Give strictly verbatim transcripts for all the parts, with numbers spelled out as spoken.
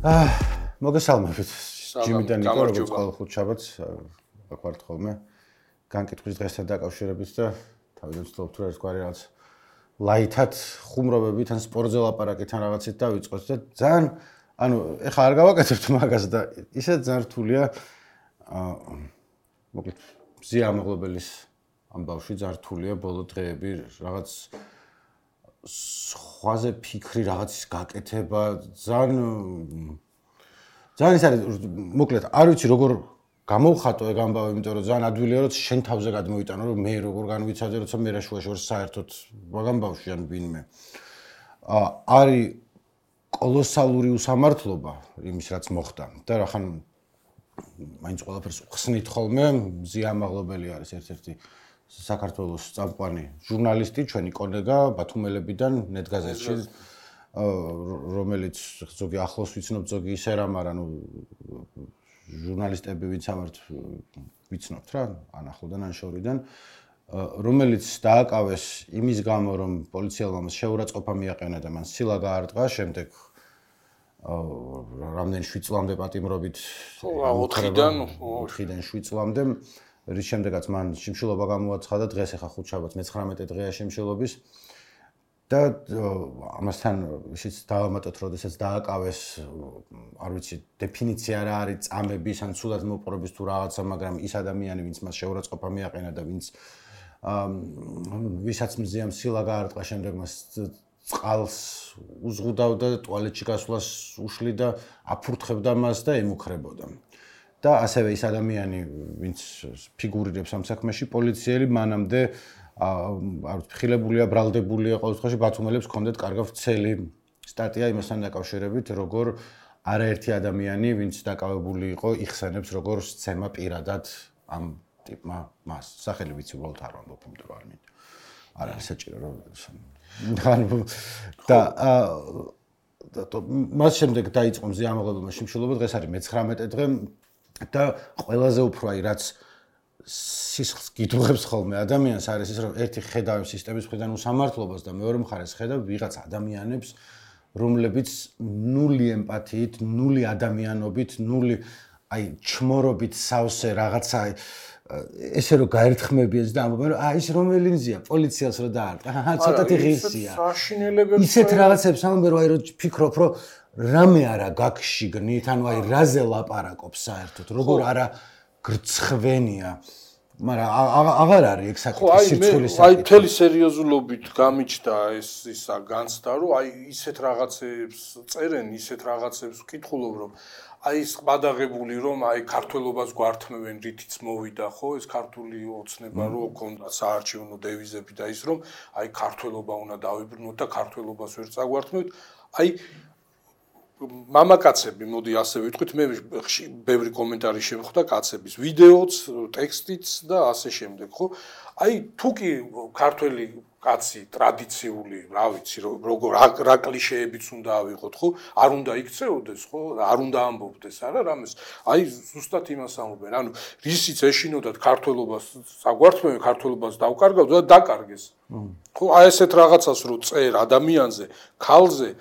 აა მოგესალმებით. ჯიმიდან ნიკო როგორც ყოველ ხუთშაბათს აქ ვართ ხოლმე. განკითხვის დღესთან დაკავშირებით და თავიდან ვცდილობ თუ ერთგვარი რაღაც ლაითად ხუმრობებით ან სპორტზე ლაპარაკით ან რაღაცით დავიწყოთ და ძალიან ანუ ეხლა არ გავაკეთებთ მაგას და ისე ძალიან რთულია აა მოკლედ მზია ამაღლებელის ამ ბავშვი ძალიან რთულია ბოლო დღეები რაღაც სხვაზე ფიქრი რაღაცის გაკეთება ძალიან ძალიან ის არის მოკლედ არ ვიცი როგორ გამოვხატო ეგ ამბავი იმიტომ რომ ძალიან ადვილია რომ შენ თავზე გადმოიტანო რომ მე როგორ განვიცადე როცა მე რა შუაში ვარ საერთოდ მაგამ ბავშვი ან ვინმე აა არის კოლოსალური უსამართლობა იმის რაც მოხდა და რახან მაინც ყველაფერს ხსნით ხოლმე მზია ამაღლებელი არის ერთ-ერთი საქართველოს წამყვანი ჟურნალისტი ჩვენი კოლეგა ბათუმელებიდან ნეტგაზეთში რომელიც ზოგი ახლოს ვიცნობ ზოგი ისე რა მაგრამ ნუ ჟურნალისტები ვინც ამართ ვიცნობთ რა ან ახლოდან ან შორიდან რომელიც დააკავეს იმის გამო რომ პოლიციელმა მას შეურაცხყოფა მიაყენა და მან სილა გაარტყა შემდეგ რამდენი შვიდ წლამდე პატიმრობით ოთხიდან ოთხიდან შვიდ წლამდე რის შემდეგაც მან შიმშილობა გამოაცხადა დღეს ახლა ხუთშაბათს მეცხრამეტე დღეა შიმშილობის და ამასთან ისიც დავამატოთ როდესაც დააკავეს არ ვიცი დეფინიცია რა არის წამების ან ცუდად მოპყრობის თუ რაღაცა მაგრამ ის ადამიანი ვინც მას შეურაცხყოფა მიაყენა და ვინც ვისაც მზიამ სილა გაარტყა შემდეგ მას წყალს უზღუდავდა ტუალეტში გასვლას უშლიდა აფურთხებდა მას და ემუქრებოდა და ასევე ის ადამიანი ვინც ფიგურირებს ამ საქმეში პოლიციელი მანამდე არ ვთქილებულია ბრალდებულია ყოველ შემთხვევაში ბათუმელებს ჰქონდათ კარგად ვრცელი სტატია იმასთან დაკავშირებით როგორ არაერთი ადამიანი ვინც დაკავებული იყო იხსენებს როგორ სცემა პირადად ამ ტიპმა მას სახელი ვიცი უბრალოდ არ ვამბობ იმიტომ რომ არ მინდა არ არის საჭირო რომ და მას შემდეგ დაიწყო მზია ამაღლებელმა შიმშილობა დღეს არის მეცხრამეტე დღე და ყველაზე უფრო აი რაც სისხლს გიდუღებს ხოლმე ადამიანს არის ის რომ ერთი ხედავ სისტემის მხრიდან უსამართლობას და მეორე მხარეს ხედავ ვიღაც ადამიანებს რომლებიც ნული ემპათიით, ნული ადამიანობით, ნული აი ჩმორობით სავსე რაღაცა ესე რომ გაერთხმებიეს და ამბობენ რომ აი ის რომელი მზია პოლიციას რო დაარტყა აჰა ცოტათი ღირსია ისეთ რაღაცებს ამბობენ რომ აი რომ ფიქრობ რომ რამე არა გაგშიგნით ანუ აი რაზე ლაპარაკობს საერთოდ როგორ არა გრცხვენია მაგრამ აღარ არის ეგ საკითხი სირცხვევის საკითხი. აი მთელი სერიოზულობით გამიჩნდა ეს ისა განცდა რომ აი ისეთ რაღაცებს წერენ, ისეთ რაღაცებს ვკითხულობ რომ აი ის ყადაღებული რომ აი ქართველობას გვართმევენ რითიც მოვიდა ხო ეს ქართული ოცნება რო ქონდა საარჩევნო დევიზები და ის რომ აი ქართველობა უნდა დავიბრუნოთ და ქართველობას ვერ წაგვართმევთ აი მამაკაცები, მოდი ასე ვიტყვით, მე ბევრი კომენტარი შემხვდა კაცების, ვიდეოც, ტექსტიც და ასე შემდეგ, ხო? აი, თუ კი ქართველი კაცი ტრადიციული, რა ვიცი, როგორ რა კლიშეებიც უნდა ავიღოთ, ხო? არ უნდა იქცეოდეს, ხო? არ უნდა ამბობდეს, არა, რამეს. აი, ზუსტად იმას ამბობენ. ანუ, რისიც ეშინოდათ ქართველობას, საგვართმევენ ქართველობას დავკარგავთ და დაკარგეს. ხო, აი ესეთ რაღაცას რო წერ ადამიანზე, ქალზე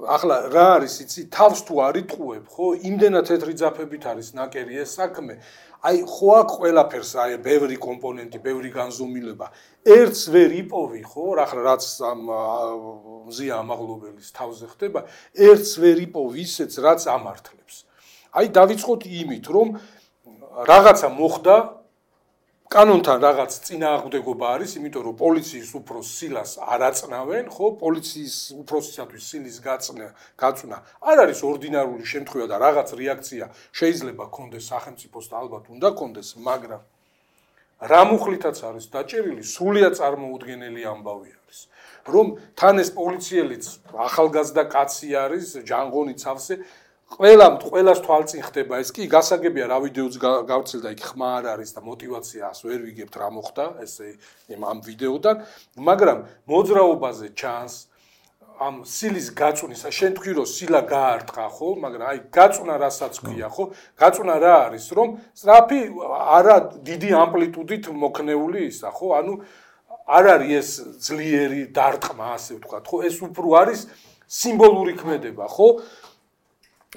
ახლა რა არის იცი თავს თუ არ იტყუებ ხო იმდენად თეთრი ძაფებით არის ნაკერი ეს საქმე აი ხო აქ ყველაფერს აი ბევრი კომპონენტი ბევრი განზომილება ერთს ვერ იპოვი ხო ახლა რაც ამ მზია ამაღლობელის თავზე ხდება ერთს ვერ იპოვი ისეც რაც ამართლებს აი დავიწყოთ იმით რომ რაღაცა მოხდა კანონთან რაღაც წინააღმდეგობა არის, იმიტომ რომ პოლიციის უფროს სილას არ აწნავენ, ხო, პოლიციის უფროსისათვის სილის გაწნა, გაწნა არ არის ორდინარული შემთხვევა და რაღაც რეაქცია შეიძლება კონდეს სახელმწიფოს და ალბათ უნდა კონდეს, მაგრამ რა მუხლითაც არის დაჭერილი, სრულიად წარმოუდგენელი ამბავი არის, რომ თან ეს პოლიციელიც ახალგაზრდა კაცი არის, ჯანღონი ცავსე ყველამ ყველას თვალწინ ხდება ეს კი გასაგებია რა ვიდეოც გავცილდა იქ ხმა არ არის და мотиваციას ვერ ვიგებთ რა მოხდა ესე ამ ვიდეოდან მაგრამ მოძრაობაზე ჩანს ამ სილის გაწვნისა შენ თქვი რომ სილა გაარტყა ხო მაგრამ აი გაწვნა რასაც ქვია ხო გაწვნა რა არის რომ სწრაფი არა დიდი ამპლიტუდით მოქნეული ისა ხო ანუ არ არის ეს ძლიერი დარტყმა ასე ვთქვათ ხო ეს უფრო არის სიმბოლური ქმედება ხო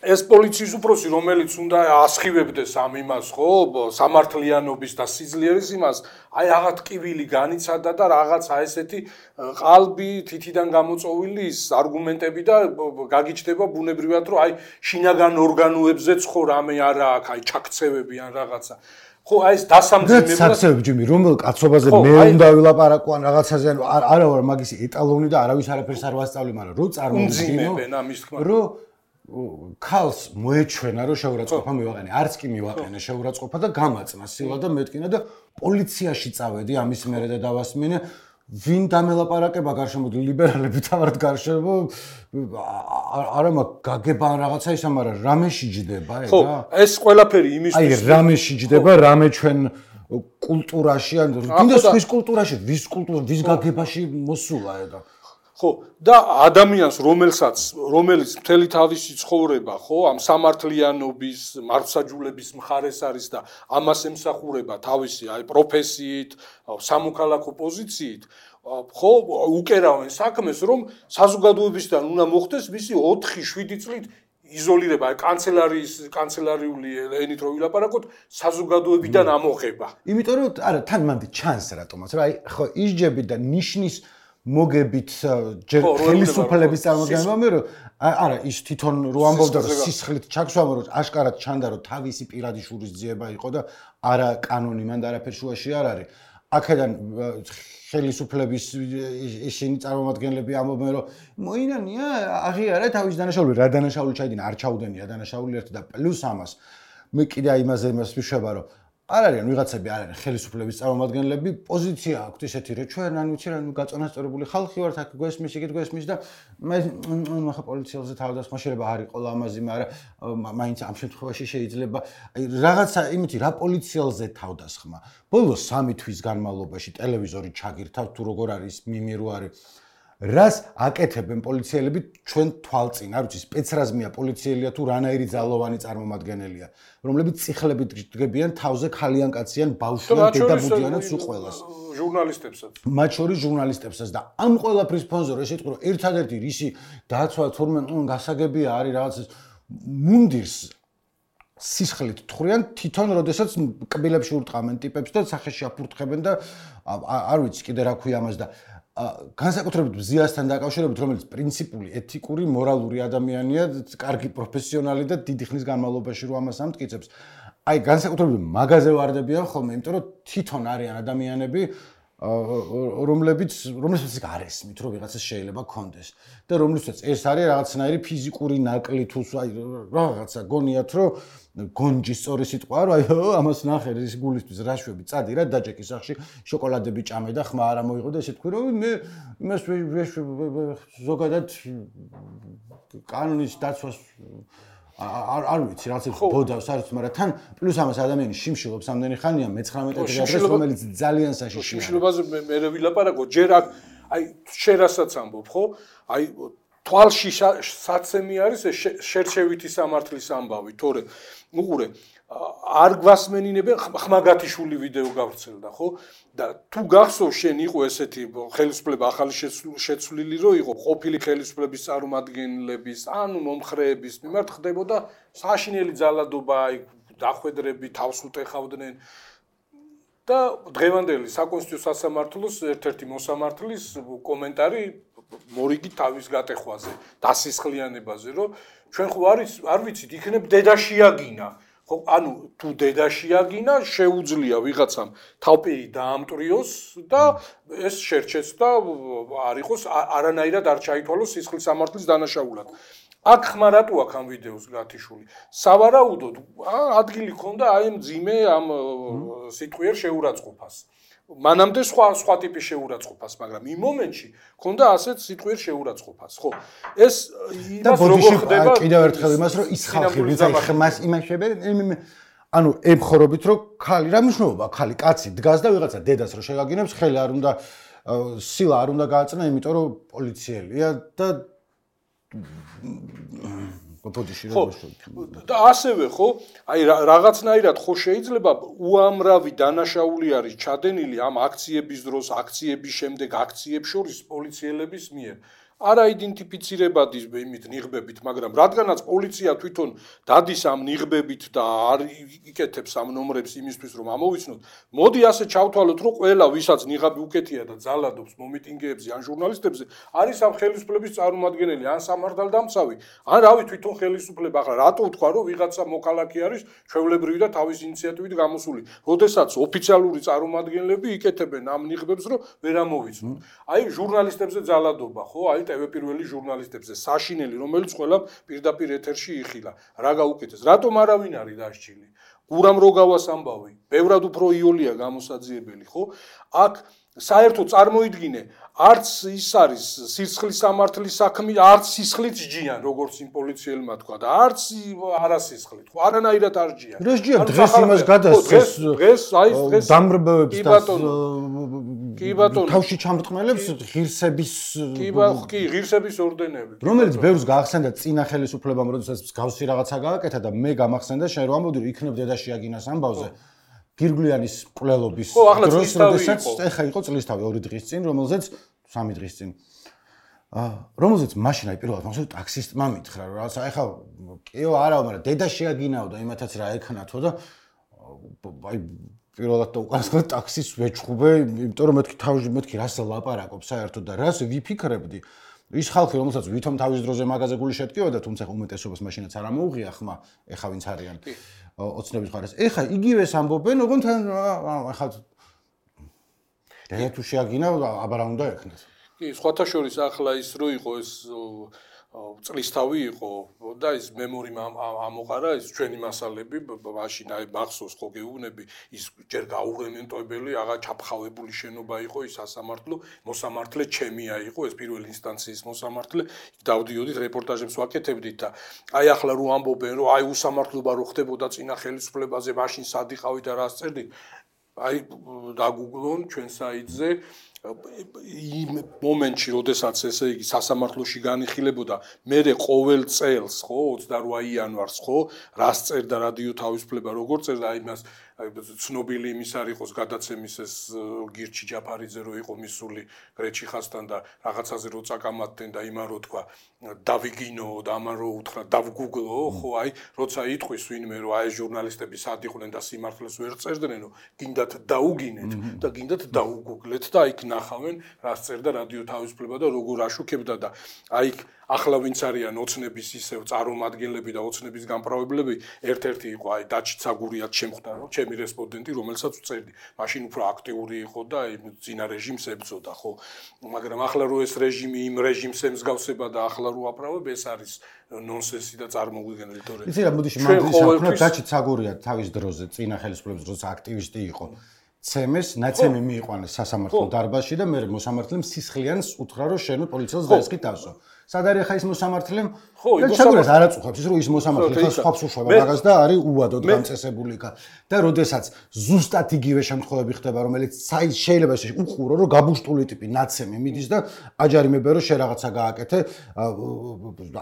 ეს პოლიციის უფროსი, რომელიც უნდა ასხივებდეს ამ იმას, ხო, სამართლიანობის და სიძლიერის იმას, აი რაღაც ტკივილი განიცადა და რაღაცა ესეთი ყალბი თითიდან გამოწოვილი ის არგუმენტები და გაგიჩნდება ბუნებრივად, რომ აი შინაგან ორგანოებზეც ხო რამე არა აქვს, აი ჩაქცევები ან რაღაცა. ხო, აი ეს დასამძიმებლად საქსები ჯიმი, რომელ კაცობაზე მე უნდა ვილაპარაკო ან რაღაცაზე, არა ვარ მაგისი ეტალონი და არავის არაფერს არ ვასწავლი, მაგრამ რო წარმოვიდგინო, რომ ქალს მოეჩვენა რომ შეურაცხყოფა მივაყენე, არც კი მივაყენე შეურაცხყოფა და გამაწნა სილა და მეთქინა და პოლიციაში წავედი ამის მერე და დავასმინე ვინ დამელაპარაკება გარშემო ლიბერალები თავად გარშემო არა მაგ გაგება ან რაღაცა ისა, მაგრამ რამე შეჯდება ეგა? ხო, ეს ყველაფერი იმისთვის აი რამე შეჯდება, რამე ჩვენ კულტურაში ან კიდე სხვის კულტურაში, ვის კულტურა, ვის გაგებაში მოსულა ეგა? ხო, და ადამიანს, რომელსაც, რომელიც მთელი თავისი ცხოვრება, ხო, ამ სამართლიანობის, მართლმსაჯულების მხარეს არის და ამას ემსახურება თავისი აი პროფესიით, სამოქალაქო პოზიციით, ხო, უკერავენ საქმეს, რომ საზოგადოებისგან უნდა მოხდეს მისი ოთხი შვიდი წლით იზოლირება, აი კანცელარიის კანცელარიული ენით რო ვილაპარაკოთ, საზოგადოებიდან ამოღება. იმიტომ რომ არა, თან მანდი ჩანს რატომაც, რა აი ხო ისჯები და ნიშნის მოგებით ჯერ ხელისუფლების წარმოდგენება მე რომ არა ის თვითონ რო ამბობდა რომ სისხლით ჩაქსვამა რომ აშკარად ჩანდა რომ თავისი პირადი შურის ძიება იყო და არა კანონი მან და არაფერ შუაში არ არის აქედან ხელისუფლების ისინი წარმომადგენლები ამბობენ რომ მოინანია აღიარა თავის დანაშაული რა დანაშაული ჩაიდინა არ ჩაუდენია დანაშაული ერთი და პლუს ამას მე კიდე იმაზე იმას ვიშვება რომ არ არიან ვიღაცები არ არიან ხელისუფლების წარმომადგენლები პოზიცია აქვთ ისეთი რომ ჩვენ ან ვიცი რა ნუ გაწონასწორებული ხალხი ვართ აქ გვესმის იგივე გვესმის და მე ხა პოლიციელზე თავდასხმა შეიძლება არ იყო ლამაზი მაგრამ მაინც ამ შემთხვევაში შეიძლება აი რაღაცა იმითი რა პოლიციელზე თავდასხმა ბოლოს სამი თვის განმავლობაში ტელევიზორი ჩაგირთავთ თუ როგორ არის მიმირო არის რას აკეთებენ პოლიციელები ჩვენ თვალწინ, არ ვიცი, სპეცრაზმია პოლიციელია თუ რანაირი ძალოვანი წარმომადგენელია, რომლებიც წიხლებით დგებიან თავზე ხალიან კაციან ბავშვიან დედაბუდიანად სულ ყველას. ჟურნალისტებსაც. მათ შორის ჟურნალისტებსაც და ამ ყველაფრის ფონზე რომ ესეთ რომ ერთადერთი რისი დაცვა თურმე გასაგებია არის რაღაც მუნდირს სისხლით თხრიან თვითონ როდესაც კბილებში ურტყამენ ტიპებს და სახეში აფურთხებენ და არ ვიცი კიდე რა ქვია ამას და განსაკუთრებით მზიასთან დაკავშირებით, რომელიც პრინციპული, ეთიკური, მორალური ადამიანია, კარგი პროფესიონალი და დიდი ხნის განმავლობაში რო ამას ამტკიცებს. აი, განსაკუთრებით მაგაზე ვარდებიან ხოლმე, იმიტომ რომ თვითონ არიან ადამიანები, რომლებიც რომლებიც არ ესმით, რომ ვიღაცას შეიძლება კონდეს და რომლებიც ეს არის რაღაცნაირი ფიზიკური ნაკლი თუ აი რაღაცა გონიათ, რომ გონჯი სწორი სიტყვა, რომ აი ამას ნახე ის გულისთვის რაშვები წადი რა დაჯეკი სახში შოკოლადები ჭამე და ხმა არა მოიღო და ესე თქვი რომ მე იმას ზოგადად კანონის დაცვას არ არ ვიცი რაც ბოდავს არ ვიცი მაგრამ თან პლუს ამას ადამიანი შიმშილობს ამდენი ხანია მეცხრამეტე დღეს რომელიც ძალიან საშიშია შიმშილობაზე მე მე ვილაპარაკო ჯერ აქ აი შერასაც ამბობ ხო აი თვალში საცემი არის შერჩევითი სამართლის ამბავი თორე უყურე არ გვასმენინებენ ხმაგათიშვილი ვიდეო გავრცელდა ხო და თუ გახსოვს შენ იყო ესეთი ხელისუფლება ახალი შეცვლილი რო იყო ყოფილი ხელისუფლების წარმომადგენლების ანუ მომხრეების მიმართ ხდებოდა საშინელი ძალადობა აი დახვედრები თავს უტეხავდნენ და დღევანდელი საკონსტიტუციო სასამართლოს ერთ-ერთი მოსამართლის კომენტარი მორიგი თავის გატეხვაზე დასისხლიანებაზე რომ ჩვენ ხო არის არ ვიცით იქნებ დედაშიაგინა ხო ანუ თუ დედაშიაგინა შეუძლია ვიღაცამ თავპირი დაამტრიოს და ეს შერჩეს და არ იყოს არანაირად არ ჩაითვალოს სისხლის სამართლის დანაშაულად აქ ხმა რატო აქ ამ ვიდეოს გათიშული სავარაუდოდ ადგილი ქონდა აი ამ ძიმე ამ სიტყვიერ შეურაცხყოფას მანამდე სხვა სხვა ტიპის შეურაცხყოფას, მაგრამ იმ მომენტში ქონდა ასეთ სიტყვიერ შეურაცხყოფას, ხო? ეს იმას როგორ ხდება? კიდევ ერთხელ იმას, რომ ის ხალხი, ვინც აი ხმას იმაშებე, ანუ ემხორობით, რომ ხალი რა მნიშვნელობა, ხალი კაცი დგას და ვიღაცა დედას რო შეგაგინებს, ხელი არ უნდა სილა არ უნდა გააწნა, იმიტომ რომ პოლიციელია და გოპოდიში ხო და ასევე ხო აი რაღაცნაირად ხო შეიძლება უამრავი დანაშაული არის ჩადენილი ამ აქციების დროს აქციების შემდეგ აქციებს შორის პოლიციელების მიერ არაიდენტიფიცირებადი იმით ნიღბებით, მაგრამ რადგანაც პოლიცია თვითონ დადის ამ ნიღბებით და არ იკეთებს ამ ნომრებს იმისთვის რომ ამოვიცნოთ, მოდი ასე ჩავთვალოთ, რომ ყველა ვისაც ნიღაბი უკეთია და ძალადობს მომიტინგეებზე ან ჟურნალისტებზე, არის ამ ხელისუფლების წარმომადგენელი, ან სამართალდამცავი, ან რავი თვითონ ხელისუფლება. ახლა რატო ვთქვა, რომ ვიღაცა მოქალაქე არის ჩვეულებრივი და თავის ინიციატივით გამოსული, როდესაც ოფიციალური წარმომადგენლები იკეთებენ ამ ნიღბებს, რომ ვერ ამოვიცნოთ. აი ჟურნალისტებზე ძალადობა, ხო? აი ტევ პირველი ჟურნალისტებზე საშინელი, რომელიც ყველა პირდაპირ ეთერში იხილა. რა გაუკეთეს? რატომ არავინ არის დასჯილი? გურამ როგავას ამბავი, ბევრად უფრო იოლია გამოსაძიებელი, ხო? აქ საერთოდ წარმოიდგინე, არც ის არის სისხლის სამართლის საქმე, არც სისხლით ჯიან, როგორც იმ პოლიციელმა თქვა და არც არასისხლით, ხო? არანაირად არ ჯიან. დღეს ჯიან, დღეს იმას გადასცეს. დღეს, აი დღეს დამრბევებს და კი ბატონო, თავში ჩამრტყმელებს ღირსების კი ბატონო, კი ღირსების ორდენები. რომელიც ბევრს გაახსენდა წინა ხელისუფლებამ, როდესაც მსგავსი რაღაცა გააკეთა და მე გამახსენდა შენ რომ ამბობდი, რომ იქნებ დედაში აგინას ამბავზე. გირგვლიანის მკვლელობის დროს, როდესაც ეხა იყო წლისთავი ორი დღის წინ, რომელზეც სამი დღის წინ. აა, რომელზეც მაშინ აი პირველად მაგას ტაქსისტმა მითხრა, რომ რაღაცა ეხა კიო არაო, მაგრამ დედა შეაგინაო და იმათაც რა ეკნათო და აი პირველად და უკანასკნელ ტაქსის ვეჩხუბე, იმიტომ რომ მეთქი თავში მეთქი რას ლაპარაკობ საერთოდ და რას ვიფიქრებდი. ის ხალხი, რომელსაც ვითომ თავის დროზე მაგაზე გული შეტკივოდა, თუმცა უმეტესობას მაშინაც არ ამოუღია ხმა, ეხა ვინც არიან ოცნების მხარეს. ეხა იგივეს ამბობენ, ოღონდ ეხა დედა თუ შეაგინა, აბარა უნდა ეკნას. კი, სხვათა შორის ახლა ის რო იყო ეს წლისთავი იყო და ის მემორიმ ამოყარა ის ჩვენი მასალები მაშინ აი მახსოვს ხო გეუბნები ის ჯერ გაურემენტოებელი აღა ჩაფხავებული შენობა იყო ის სასამართლო მოსამართლე ჩემია იყო ეს პირველი ინსტანციის მოსამართლე დავდიოდით რეპორტაჟებს ვაკეთებდით და აი ახლა რო ამბობენ რომ აი უსამართლობა რო ხდებოდა წინა ხელისუფლებაზე მაშინ სად იყავით და რას წერდით აი დაგუგლონ ჩვენ საიტზე იმ მომენტში, როდესაც ესე იგი სასამართლოში განიხილებოდა, მერე ყოველ წელს, ხო, ოცდაოთხ იანვარს, ხო, რას წერდა რადიო თავისუფლება, როგორ წერდა, აი მას ცნობილი იმის არ იყოს გადაცემის ეს გირჩი ჯაფარიძე რო იყო მისული გრეჩიხასთან და რაღაცაზე რო წაკამათდნენ და იმან რო თქვა დავიგინო და ამან რო უთხრა დავგუგლო, ხო, აი, როცა იტყვის ვინმე რომ აი ჟურნალისტები სად იყვნენ და სიმართლეს ვერ წერდნენ, გინდათ დაუგინეთ და გინდათ დაუგუგლეთ და აი ნახავენ რას წერდა რადიო თავისუფლება და როგორ აშუქებდა და აი ახლა ვინც არიან ოცნების ისევ წარმომადგენლები და ოცნების გამправებლები ერთ-ერთი იყო აი დაჩი ცაგურიად შემხვდა რომ ჩემი რესპონდენტი რომელსაც ვწერდი მაშინ უფრო აქტიური იყო და აი ძინა რეჟიმს ებრძოდა ხო მაგრამ ახლა რო ეს რეჟიმი იმ რეჟიმს ემსგავსება და ახლა რო აპრავებ ეს არის ნონსენსი და წარმოუდგენელი თორე იცი რა მოდიში მანდრის დაჩი ცაგურიად თავის დროზე წინა ხელისუფლების დროს აქტივისტი იყო ცემეს ნაცემი მიიყვანეს სასამართლო დარბაზში და მე მოსამართლემ სისხლიანს უთხრა რომ შენო პოლიციელს დაესხი თავსო. სად არის ხა ის მოსამართლემ? ხო, ის მოსამართლემ არ აწუხებს ის რომ ის მოსამართლე ხა სხვას უშვება მაგას და არის უვადოდ გამწესებული კა. და როდესაც ზუსტად იგივე შემთხვევები ხდება რომელიც შეიძლება უყურო რომ გაბუშტული ტიპი ნაცემი მიდის და აჯარიმებენ რომ შე რაღაცა გააკეთე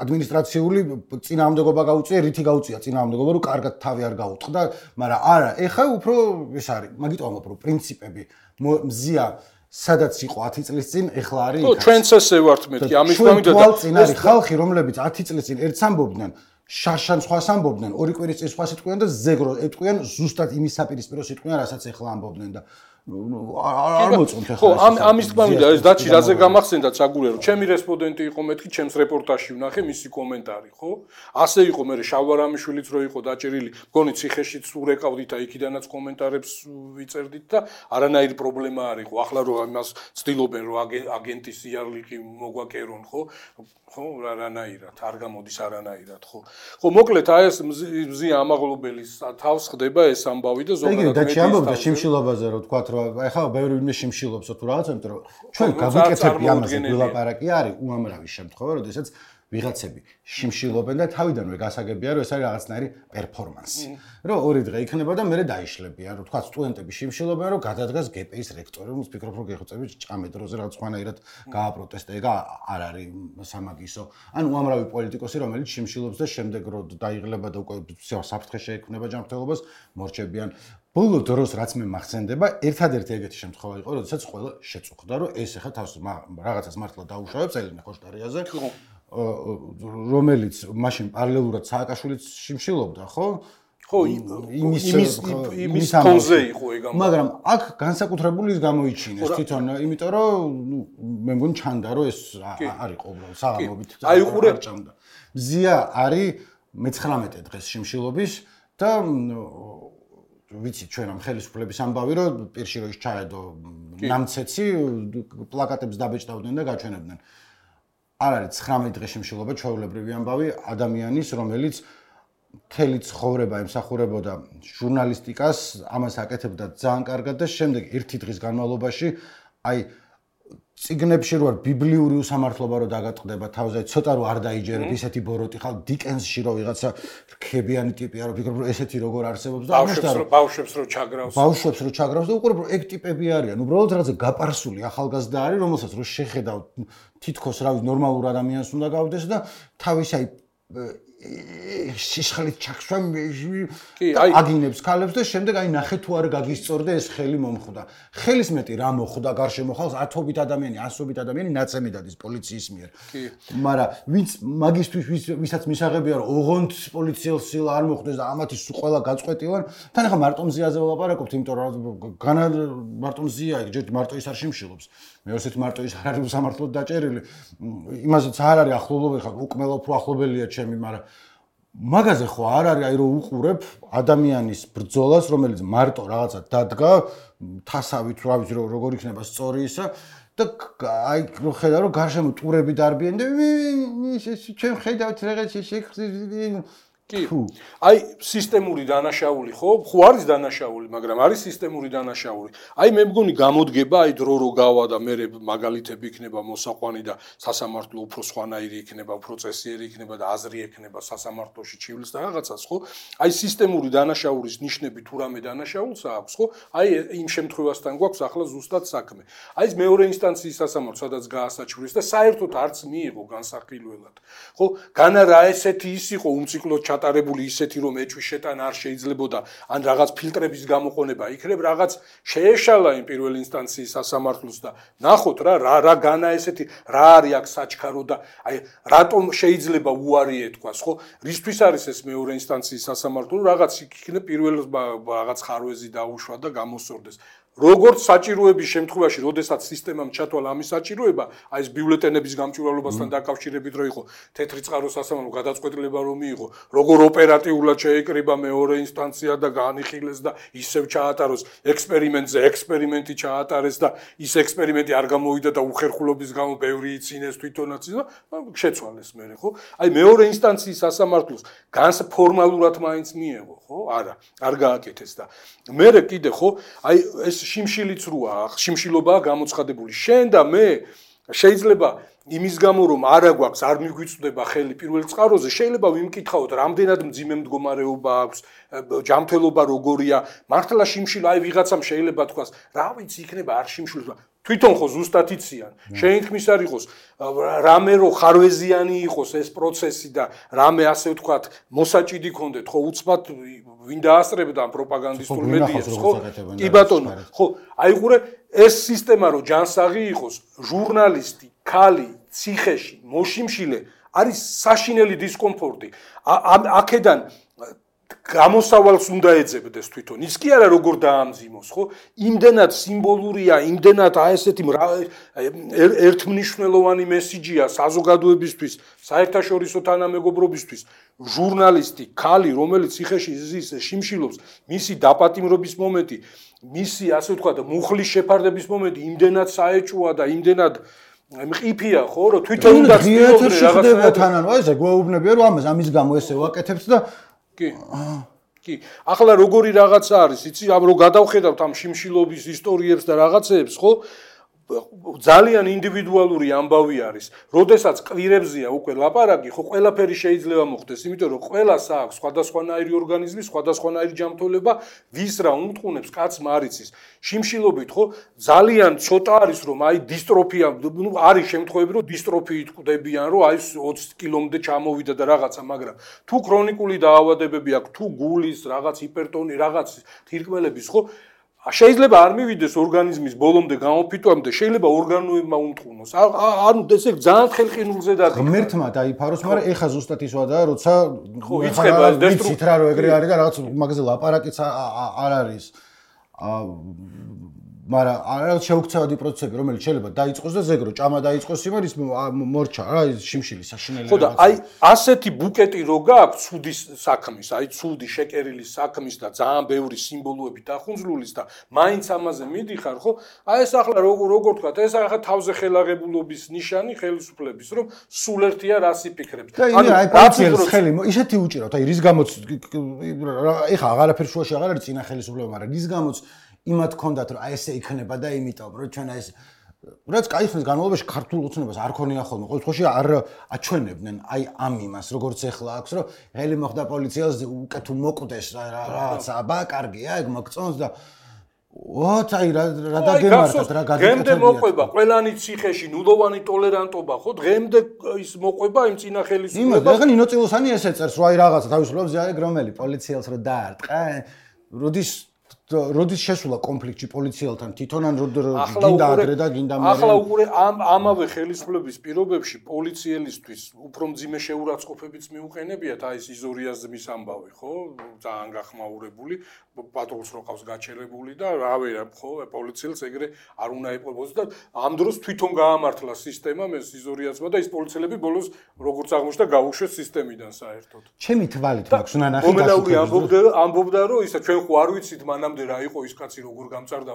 ადმინისტრაციული წინააღმდეგობა გაუწია რითი გაუწია წინააღმდეგობა რომ კარგად თავი არ გაუტყდა მაგრამ არა ეხა უფრო ეს არის მაგით ვამბობ რომ პრინციპები მზია სადაც იყო ათი წლის წინ ეხლა არის იქ. ხო, ჩვენც ესე ვართ მეთქი, ამის გამომიდა და ეს არის ხალხი, რომლებიც ათი წლის წინ ერთს ამბობდნენ, შაშან სხვას ამბობდნენ, ორი კვირის წინ სხვას იტყვიან და ზეგრო ეტყვიან ზუსტად იმის საპირისპირო იტყვიან, რასაც ეხლა ამბობდნენ და არ მოწონთ ახლა. ხო, ამის გამომიდა ეს დაჩი რაზე გამახსენდა ცაგურია, რომ ჩემი რესპონდენტი იყო მეთქი, ჩემს რეპორტაჟში ვნახე მისი კომენტარი, ხო? ასე იყო მე შავარამიშვილიც რო იყო დაჭერილი, მგონი ციხეშიც ურეკავდით და იქიდანაც კომენტარებს ვიწერდით და არანაირი პრობლემა არ იყო. ახლა რო იმას ცდილობენ რომ აგენტის იარლიყი მოგვაკერონ, ხო? ხო, არანაირად, არ გამოდის არანაირად, ხო? ხო, მოკლედ აი ეს მზია ამაღლობელის თავს ხდება ეს ამბავი და ზოგადად მე და ამბობდა შიმშილობაზე რომ თქვა რომ ეხლა ბევრი ვინმე შიმშილობს თუ რაღაცა, იმიტომ რომ ჩვენ გავიკეთებდი ამაზე გულაპარაკი არის უამრავი შემთხვევა, როდესაც ვიღაცები შიმშილობენ და თავიდანვე გასაგებია რომ ეს არის რაღაცნაირი პერფორმანსი. რომ ორი დღე იქნება და მერე დაიშლებიან, რომ თქვა სტუდენტები შიმშილობენ, რომ გადადგას გპ-ის რექტორი, რომ ფიქრობ რომ გეხოცები ჭამე დროზე რაღაც ხანაირად გააპროტესტე, ეგ არ არის სამაგისო. ან უამრავი პოლიტიკოსი, რომელიც შიმშილობს და შემდეგ რო დაიღლება და უკვე საფრთხე შეექმნება ჯანმრთელობას, მორჩებიან. ბოლო დროს რაც მე მახსენდება, ერთადერთი ეგეთი შემთხვევა იყო, როდესაც ყველა შეწუხდა, რომ ეს ახლა თავს რაღაცას მართლა დაუშავებს ელენე ხოშტარიაზე, რომელიც მაშინ პარალელურად სააკაშვილიც შიმშილობდა, ხო? ხო, იმის იმის ფონზე იყო ეგ ამ. მაგრამ აქ განსაკუთრებული ის გამოიჩინეს თვითონ, იმიტომ რომ ნუ მე მგონი ჩანდა, რომ ეს არ იყო უბრალოდ საღამობით აი უყურე ჭამდა. მზია არის მეცხრამეტე დღეს შიმშილობის და ვიცი ჩვენ ამ ხელისუფლების ამბავი რომ პირში რო ის ჩაედო ნამცეცი პლაკატებს დაბეჭდავდნენ და გაჩვენებდნენ. არ არის ცხრამეტი დღე შიმშილობა ჩვეულებრივი ამბავი ადამიანის რომელიც მთელი ცხოვრება ემსახურებოდა ჟურნალისტიკას, ამას აკეთებდა ძალიან კარგად და შემდეგ ერთი დღის განმავლობაში აი წიგნებში რო არ ბიბლიური უსამართლობა რო დაგატყდება თავზე, ცოტა რო არ დაიჯერებ ისეთი ბოროტი ხალ დიკენსში რო ვიღაცა რქებიანი ტიპია რო ფიქრობ რომ ესეთი როგორ არსებობს და ამაშტა რომ ბავშვებს რო ჩაგრავს ბავშვებს რო ჩაგრავს და უყურებ რომ ეგ ტიპები არიან უბრალოდ რაღაცა გაპარსული ახალგაზრდა არის რომელსაც რო შეხედავ თითქოს რავი ნორმალურ ადამიანს უნდა გავდეს და თავის აი სიშხლით ჩაქსვა აგინებს ქალებს და შემდეგ აი ნახე თუ არ გაგისწორდა ეს ხელი მომხვდა. ხელის მეტი რა მოხვდა გარშემო ხალხს ათობით ადამიანი, ასობით ადამიანი ნაცემი დადის პოლიციის მიერ. მაგრამ ვინც მაგისთვის ვისაც მისაღებია რომ ოღონდ პოლიციელ სილა არ მოხვდეს და ამათი სულ ყველა გაწყვეტილან, თან ახლა მარტო მზიაზე ვლაპარაკობთ, იმიტომ რომ განა მარტო მზია იქ ჯერ მარტო ის არ შიმშილობს. მე ვსეთ მარტო ის არ არის უსამართლოდ დაჭერილი. იმასაც არ არის ახლობლობელი ხარ, უკმელო უფრო ახლობელია ჩემი, მაგრამ მაგაზე ხო არ არის აი რომ უყურებ ადამიანის ბრძოლას, რომელიც მარტო რაღაცა დადგა, თასავით რა ვიცი როგორ იქნება სწორი ისა და აი რო ხედავ რომ გარშემო ტურები დარბიან და ჩვენ ხედავთ რაღაცა შეგხსნით კი. აი სისტემური დანაშაული ხო? ხო არის დანაშაული, მაგრამ არის სისტემური დანაშაული. აი მე მგონი გამოდგება აი დრო რო გავა და მე მაგალითები იქნება მოსაყვანი და სასამართლო უფრო სხვანაირი იქნება, უფრო წესიერი იქნება და აზრი ექნება სასამართლოში ჩივლის და რაღაცას ხო? აი სისტემური დანაშაულის ნიშნები თუ რამე დანაშაულს აქვს ხო? აი იმ შემთხვევასთან გვაქვს ახლა ზუსტად საქმე. აი ეს მეორე ინსტანციის სასამართლო სადაც გაასაჩვრის და საერთოდ არც მიიღო განსახილველად. ხო? განა რა ესეთი ის იყო უმციკლოდ ატარებული ისეთი რომ ეჭვის შეტანა არ შეიძლებოდა ან რაღაც ფილტრების გამოყენება იქნებ რაღაც შეეშალა იმ პირველ ინსტანციის სასამართლოს და ნახოთ რა რა რა განა ესეთი რა არის აქ საჩქარო და აი რატომ შეიძლება უარი ეთქვას ხო რისთვის არის ეს მეორე ინსტანციის სასამართლო რაღაც იქნებ პირველ რაღაც ხარვეზი დაუშვა და გამოსორდეს როგორც საჭიროების შემთხვევაში, როდესაც სისტემამ ჩათვალა ამის საჭიროება, აი ეს ბიულეტენების გამჭვირვალობასთან დაკავშირებით რო იყო თეთრი წყარო სასამართლო გადაწყვეტილება რომ მიიღო, როგორ ოპერატიულად შეეკრიბა მეორე ინსტანცია და განიხილეს და ისევ ჩაატაროს ექსპერიმენტზე, ექსპერიმენტი ჩაატარეს და ის ექსპერიმენტი არ გამოვიდა და უხერხულობის გამო ბევრი იცინეს თვითონაც და შეცვალეს მერე, ხო? აი მეორე ინსტანციის სასამართლოს განს ფორმალურად მაინც მიიღო, ხო? არა, არ გააკეთეს და მერე კიდე ხო? აი ეს შიმშილიც როა, შიმშილობაა გამოცხადებული. შენ და მე შეიძლება იმის გამო რომ არა გვაქვს, არ მიგვიწვდება ხელი პირველ წყაროზე, შეიძლება ვიმკითხავთ, რამდენად მძიმე მდგომარეობა აქვს, ჯანმრთელობა როგორია, მართლა შიმშილ აი ვიღაცამ შეიძლება თქვას, რა ვიცი, იქნება არ შიმშილობს. თვითონ ხო ზუსტად იციან. შენ თქმის არ იყოს, რამე რო ხარვეზიანი იყოს ეს პროცესი და რამე ასე ვთქვათ, მოსაჭიდი კონდეთ, ხო უცბად ვინ დაასწრებდა ამ პროპაგანდისტულ მედიას, ხო? კი ბატონო, ხო, აი ყურე ეს სისტემა რო ჯანსაღი იყოს, ჟურნალისტი, ქალი, ციხეში, მოშიმშილე არის საშინელი დისკომფორტი. აქედან გამოსავალს უნდა ეძებდეს თვითონ. ის კი არა როგორ დაამძიმოს, ხო? იმდენად სიმბოლურია, იმდენად აი ესეთი ერთმნიშვნელოვანი მესიჯია საზოგადოებისთვის, საერთაშორისო თანამეგობრობისთვის. ჟურნალისტი, ქალი, რომელიც ციხეში ზის, შიმშილობს, მისი დაპატიმრობის მომენტი, მისი ასე ვთქვათ, მუხლის შეფარდების მომენტი იმდენად საეჭვოა და იმდენად მყიფია, ხო, რომ თვითონ უნდა ცდილობდნენ რაღაცა თანან, აი ესე გვეუბნებია, რომ ამას ამის გამო ესე ვაკეთებთ და კი. კი. ახლა როგორი რაღაცა არის, იცი, ამ რო გადავხედავთ ამ შიმშილობის ისტორიებს და რაღაცეებს, ხო? ძალიან ინდივიდუალური ამბავი არის. როდესაც კვირებზია უკვე ლაპარაკი, ხო ყველაფერი შეიძლება მოხდეს, იმიტომ რომ ყველას აქვს სხვადასხვანაირი ორგანიზმი, სხვადასხვანაირი ჯანმრთელობა, ვის რა უმტყუნებს, კაცმა არ იცის. შიმშილობით ხო ძალიან ცოტა არის რომ აი დისტროფია, ნუ არის შემთხვევები რომ დისტროფიით კვდებიან, რომ აი ოცი კილომდე ჩამოვიდა და რაღაცა, მაგრამ თუ ქრონიკული დაავადებები აქვს, თუ გულის რაღაც ჰიპერტონი, რაღაც თირკმელების ხო შეიძლება არ მივიდეს ორგანიზმის ბოლომდე გამოფიტვამდე, შეიძლება ორგანოებმა უმტყუნოს. ანუ ესე ძალიან ხელყინულზე დადი. ღმერთმა დაიფაროს, მაგრამ ეხა ზუსტად ის ვადაა, როცა ხო იწება დესტრუქცია რა რო ეგრე არის და რაღაც მაგაზე ლაპარაკიც არ არის. აა მაგრამ არის შეუქცევადი პროცესები, რომელიც შეიძლება დაიწყოს და ზეგრო ჭამა დაიწყოს იმარ ის მორჩა რა ის შიმშილი საშინელი. ხო და აი ასეთი ბუკეტი რო გაქვს ცუდის საქმის, აი ცუდი შეკერილის საქმის და ძალიან ბევრი სიმბოლოები დახუნძლულის და მაინც ამაზე მიდიხარ, ხო? აი ეს ახლა როგორ თქვა, ეს ახლა თავზე ხელაღებულობის ნიშანი ხელისუფლების, რომ სულ ერთია რას იფიქრებს. ანუ აი პარციელს ხელი ისეთი უჭირავთ, აი რის გამოც ეხა აღარაფერ შუაში აღარ არის წინა ხელისუფლება, მაგრამ რის გამოც იმათ ქონდათ რომ აი ესე იქნება და იმიტომ რომ ჩვენ აი ეს რაც კაი ხნის განმავლობაში ქართულ ოცნებას არ ქონია ხოლმე ყოველ შემთხვევაში არ აჩვენებდნენ აი ამ იმას როგორც ეხლა აქვს რომ ღელი მოხდა პოლიციას უკეთ უმოკვდეს რაღაცა აბა კარგია ეგ მოგწონს და ვოთ აი რა რა დაგემართათ რა გადაკეთებია დღემდე მოყვება ყველანი ციხეში ნულოვანი ტოლერანტობა ხო დღემდე ის მოყვება იმ წინა ხელისუფლებას იმას ეხლა ნინო წილოსანი ესე წერს რომ აი რაღაცა თავისუფლებს აი რომელი პოლიციელს რო დაარტყა როდის როდის შესულა კონფლიქტში პოლიციელთან თვითონ ან გინდა ადრე და გინდა მე ახლა უყურე ამ ამავე ხელისუფლების პირობებში პოლიციელისთვის უფრო მძიმე შეურაცხყოფებიც მიუყენებიათ აი ეს იზორიაზმის ამბავი ხო ძალიან გახმაურებული პატრულს რო ყავს გაჩერებული და რავი ხო პოლიციელს ეგრე არ უნდა ეპყრობოს და ამ დროს თვითონ გაამართლა სისტემა მე იზორიაზმა და ის პოლიციელები ბოლოს როგორც აღმოჩნდა გაუშვეს სისტემიდან საერთოდ ჩემი თვალით მაქვს უნდა ნახე მომედაური ამბობდა ამბობდა რომ ისა ჩვენ ხო არ ვიცით მანამ რა იყო ის კაცი როგორ გამწარდა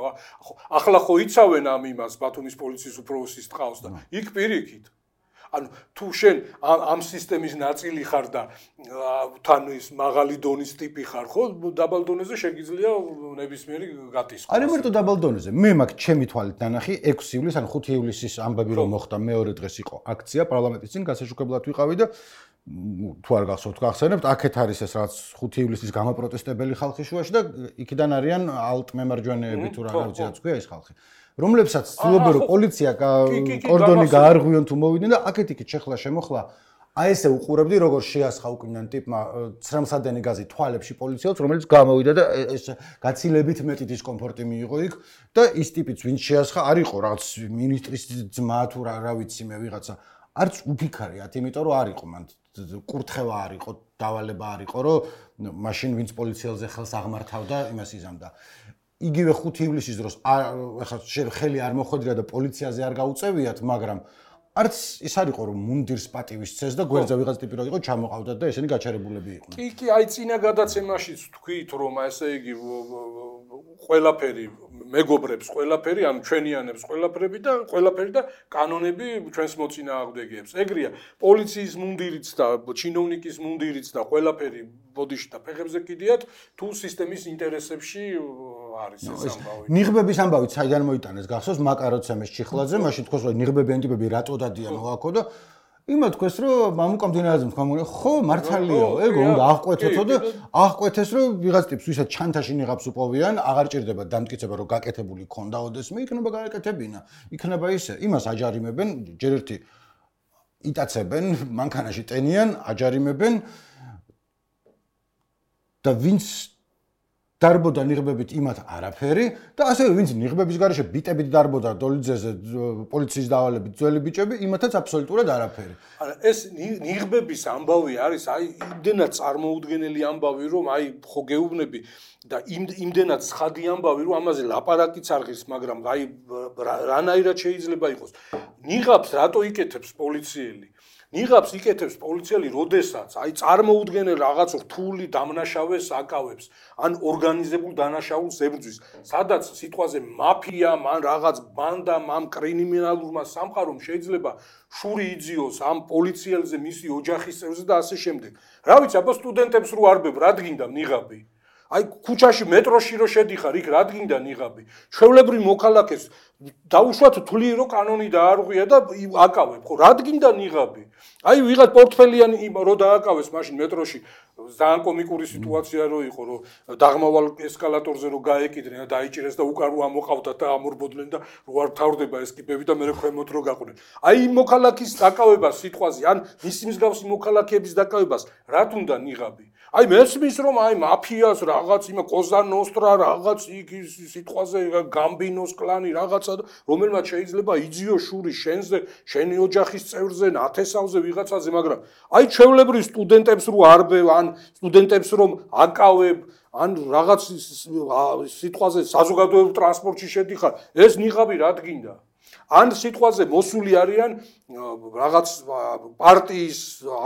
ახლა ხო იცავენ ამ იმას ბათუმის პოლიციის უფროსის ტყავს და იქ პირიქით ანუ თუ შენ ამ სისტემის ნაწილი ხარ და თან ის მაღალი დონის ტიპი ხარ ხო დაბალ დონეზე შეგიძლია ნებისმიერი გატისყოს არა მარტო დაბალ დონეზე მე მაქვს ჩემი თვალით ნანახი ექვსი ივლისს ან ხუთი ივლისის ამბები რომ მოხდა მეორე დღეს იყო აქცია პარლამენტის წინ გასაშუქებლად ვიყავი და თუ არ გახსოვთ გახსენებთ აქეთ არის ეს რაც ხუთი ივლისის გამოპროტესტებელი ხალხი შუაში და იქიდან არიან ალტ მემარჯვენეები თუ რა ვიცი რაც ქვია ეს ხალხი რომლებსაც ცდილობენ რომ პოლიცია კორდონი გაარღვიონ თუ მოვიდნენ და აქეთ იქით შეხლა შემოხლა აი ესე უყურებდი როგორ შეასხა უკიდან ტიპმა ცრემსადენი გაზი თვალებში პოლიციელს რომელიც გამოვიდა და ეს გაცილებით მეტი დისკომფორტი მიიღო იქ და ის ტიპიც ვინც შეასხა არ იყო რაღაც მინისტრის ძმა თუ რა რა ვიცი მე ვიღაცა არც უფიქარიათ იმიტომ რომ არ იყო მან კურთხევა არ იყო დავალება არ იყო რომ მაშინ ვინც პოლიციელზე ხელს აღმართავდა იმას იზამდა იგივე ხუთი ივლისის დროს ახლა ხელი არ მოხვედრია და პოლიციაზე არ გაუწევიათ მაგრამ არც ის არ იყო რომ მუნდირს პატივის წეს და გვერდზე ვიღაც ტიპი რო იყო ჩამოყავდათ და ესენი გაჩერებულები იყვნენ კი კი აი წინა გადაცემაშიც თქვით რომ ესე იგი ყველაფერი მეგობრებს ყველაფერი ან ჩვენიანებს ყველაფერი და ყველაფერი და კანონები ჩვენს მოწინააღმდეგეებს ეგრეა პოლიციის მუნდირიც და ჩინოვნიკის მუნდირიც და ყველაფერი ბოდიში და ფეხებზე კიდიათ თუ სისტემის ინტერესებში არის ეს ამბავი ნიღბების ამბავი საიდან მოიტანეს გახსოვს მაკაროცემეს ჩიხლაძე მაშინ თქოს რომ ნიღბები ან ტიპები რატო დადიან მოაქო და იმა თქვეს რომ მამუკამდინარაძემ თქვა ხო მართალიაო ეგო უნდა აღკვეთოთო და აღკვეთეს რომ ვიღაც ტიპს ვისაც ჩანთაში ნიღაბს უპოვიან აღარ ჭირდება დამტკიცება რომ გაკეთებული ქონდა ოდესმე იქნება გააკეთებინა იქნება ისე იმას აჯარიმებენ ჯერ ერთი იტაცებენ მანქანაში ტენიან აჯარიმებენ და ვინც დარბოდა ნიღბებით იმათ არაფერი და ასევე ვინც ნიღბების გარეშე ბიტებით დარბოდა დოლიძეზე პოლიციის დავალებით ძველი ბიჭები იმათაც აბსოლუტურად არაფერი. არა ეს ნიღბების ამბავი არის აი იმდენად წარმოუდგენელი ამბავი რომ აი ხო გეუბნები და იმდენად ცხადი ამბავი რომ ამაზე ლაპარაკიც არ ღირს მაგრამ აი რანაირად შეიძლება იყოს ნიღაბს რატო იკეთებს პოლიციელი ნიღაბს იკეთებს პოლიციელი, როდესაც აი წარმოუდგენელ რაღაც რთული დამნაშავეს აკავებს, ან ორგანიზებულ დანაშაულს ებრძვის, სადაც სიტყვაზე მაფია, ან რაღაც ბანდა, ამ კრიმინალურმა სამყარომ შეიძლება შური იძიოს ამ პოლიციელზე, მისი ოჯახის წევრზე და ასე შემდეგ. რა ვიცი, აბა სტუდენტებს რო არბებ, რა დგინდა ნიღაბი? აი ქუჩაში მეტროში რო შედიხარ, იქ რადგინდა ნიღაბი. ჩვეულებრივ მოქალაქეს დაუშვათ თვლი რომ კანონი დაარღვია და აკავებ, ხო, რადგინდა ნიღაბი. აი ვიღაც პორტფელიანი რო დააკავეს მაშინ მეტროში, ძალიან კომიკური სიტუაცია რო იყო, რომ დაღმავალ ესკალატორზე რო გაეკიდნენ და დაიჭირეს და უკან რო ამოყავდათ და ამორბოდნენ და რო არ თავდება ეს კიბები და მე ქვემოთ რო გაყვნენ. აი იმ მოქალაქის დაკავებას სიტყვაზე, ან მისი მსგავსი მოქალაქეების დაკავებას, რა თუნდა ნიღაბი? აი მესმის რომ აი მაფიას რაღაც იმა კოზანოსტრა რაღაც იქ სიტყვაზე გამბინოს კლანი რაღაცა რომელმაც შეიძლება იძიო შური შენზე შენი ოჯახის წევრზე ნათესავზე ვიღაცაზე მაგრამ აი ჩვეულებრივ სტუდენტებს რო არბევ ან სტუდენტებს რომ აკავებ ან რაღაც სიტყვაზე საზოგადოებრივ ტრანსპორტში შედიხარ ეს ნიღაბი რადგინდა ან სიტყვაზე მოსული არიან რაღაც პარტიის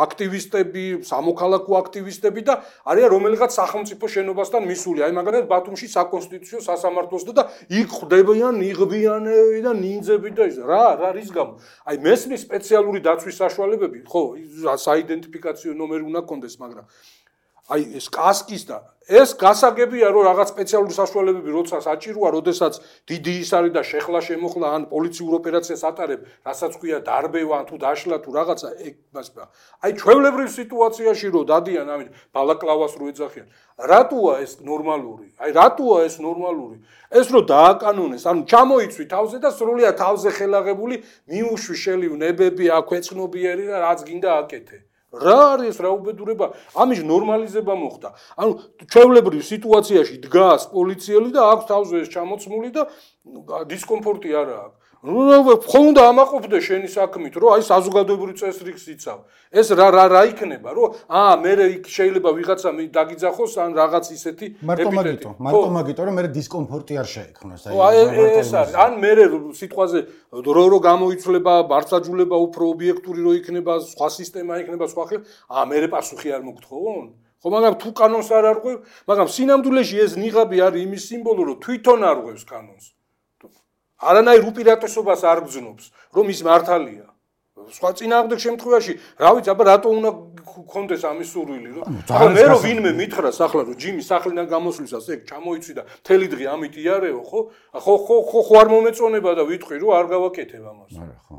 აქტივისტები, სამოქალაქო აქტივისტები და არიან რომელიღაც სახელმწიფო შენობასთან მისული. აი მაგალითად ბათუმში საკონსტიტუციო სასამართლოსთან და იქ ხდებიან ნიღბიანები და ნინძები და ის რა რა რის გამო? აი მესმის სპეციალური დაცვის საშუალებები, ხო, საიდენტიფიკაციო ნომერი უნდა კონდეს, მაგრამ აი ეს კასკის და ეს გასაგებია რომ რაღაც სპეციალური საშუალებები როცა საჭიროა, როდესაც დიდი ის არის და შეხლა შემოხლა ან პოლიციურ ოპერაციას ატარებ, რასაც ქვია დარბევა თუ დაშლა თუ რაღაცა, ეგ აი ჩვეულებრივ სიტუაციაში რომ დადიან ამით ბალაკლავას რო ეძახიან. რატოა ეს ნორმალური? აი რატოა ეს ნორმალური? ეს რო დააკანონეს, ანუ ჩამოიცვი თავზე და სრულიად თავზე ხელაღებული მიუშვი შელივ ნებები, აქვეცნობიერი და რაც გინდა აკეთე. რა არის რა უბედურება? ამის ნორმალიზება მოხდა. ანუ ჩვეულებრივ სიტუაციაში დგას პოლიციელი და აქვს თავზე ეს ჩამოცმული და დისკომფორტი არა აქვს. ხო უნდა ამაყოფდე შენი საქმით, რომ აი საზოგადოებრივ წესრიგს იცავ. ეს რა რა რა იქნება, რომ აა მე იქ შეიძლება ვიღაცა დაგიძახოს ან რაღაც ისეთი მარტო მაგიტო, მარტო მაგიტო, რომ მე დისკომფორტი არ შეექმნას. აი ეს არის. ან მე სიტყვაზე რო რო გამოიცვლება, ბარსაჯულება უფრო ობიექტური რო იქნება, სხვა სისტემა იქნება, სხვა ხელ, აა მე პასუხი არ მოგთხოვონ? ხო, მაგრამ თუ კანონს არ არღვევ, მაგრამ სინამდვილეში ეს ნიღაბი არის იმის სიმბოლო, რომ თვითონ არღვევს კანონს. არანაირ უპირატესობას არ გძნობს, რომ ის მართალია. სხვა წინააღმდეგ შემთხვევაში, რა ვიცი, აბა რატო უნდა გქონდეს ამის სურვილი, რომ ახლა მე რო ვინმე მითხრას ახლა რომ ჯიმი სახლიდან გამოსვლისას ეგ ჩამოიცვი და მთელი დღე ამით იარეო, ხო? ხო ხო ხო ხო არ მომეწონება და ვიტყვი რომ არ გავაკეთებ ამას. არა, ხო.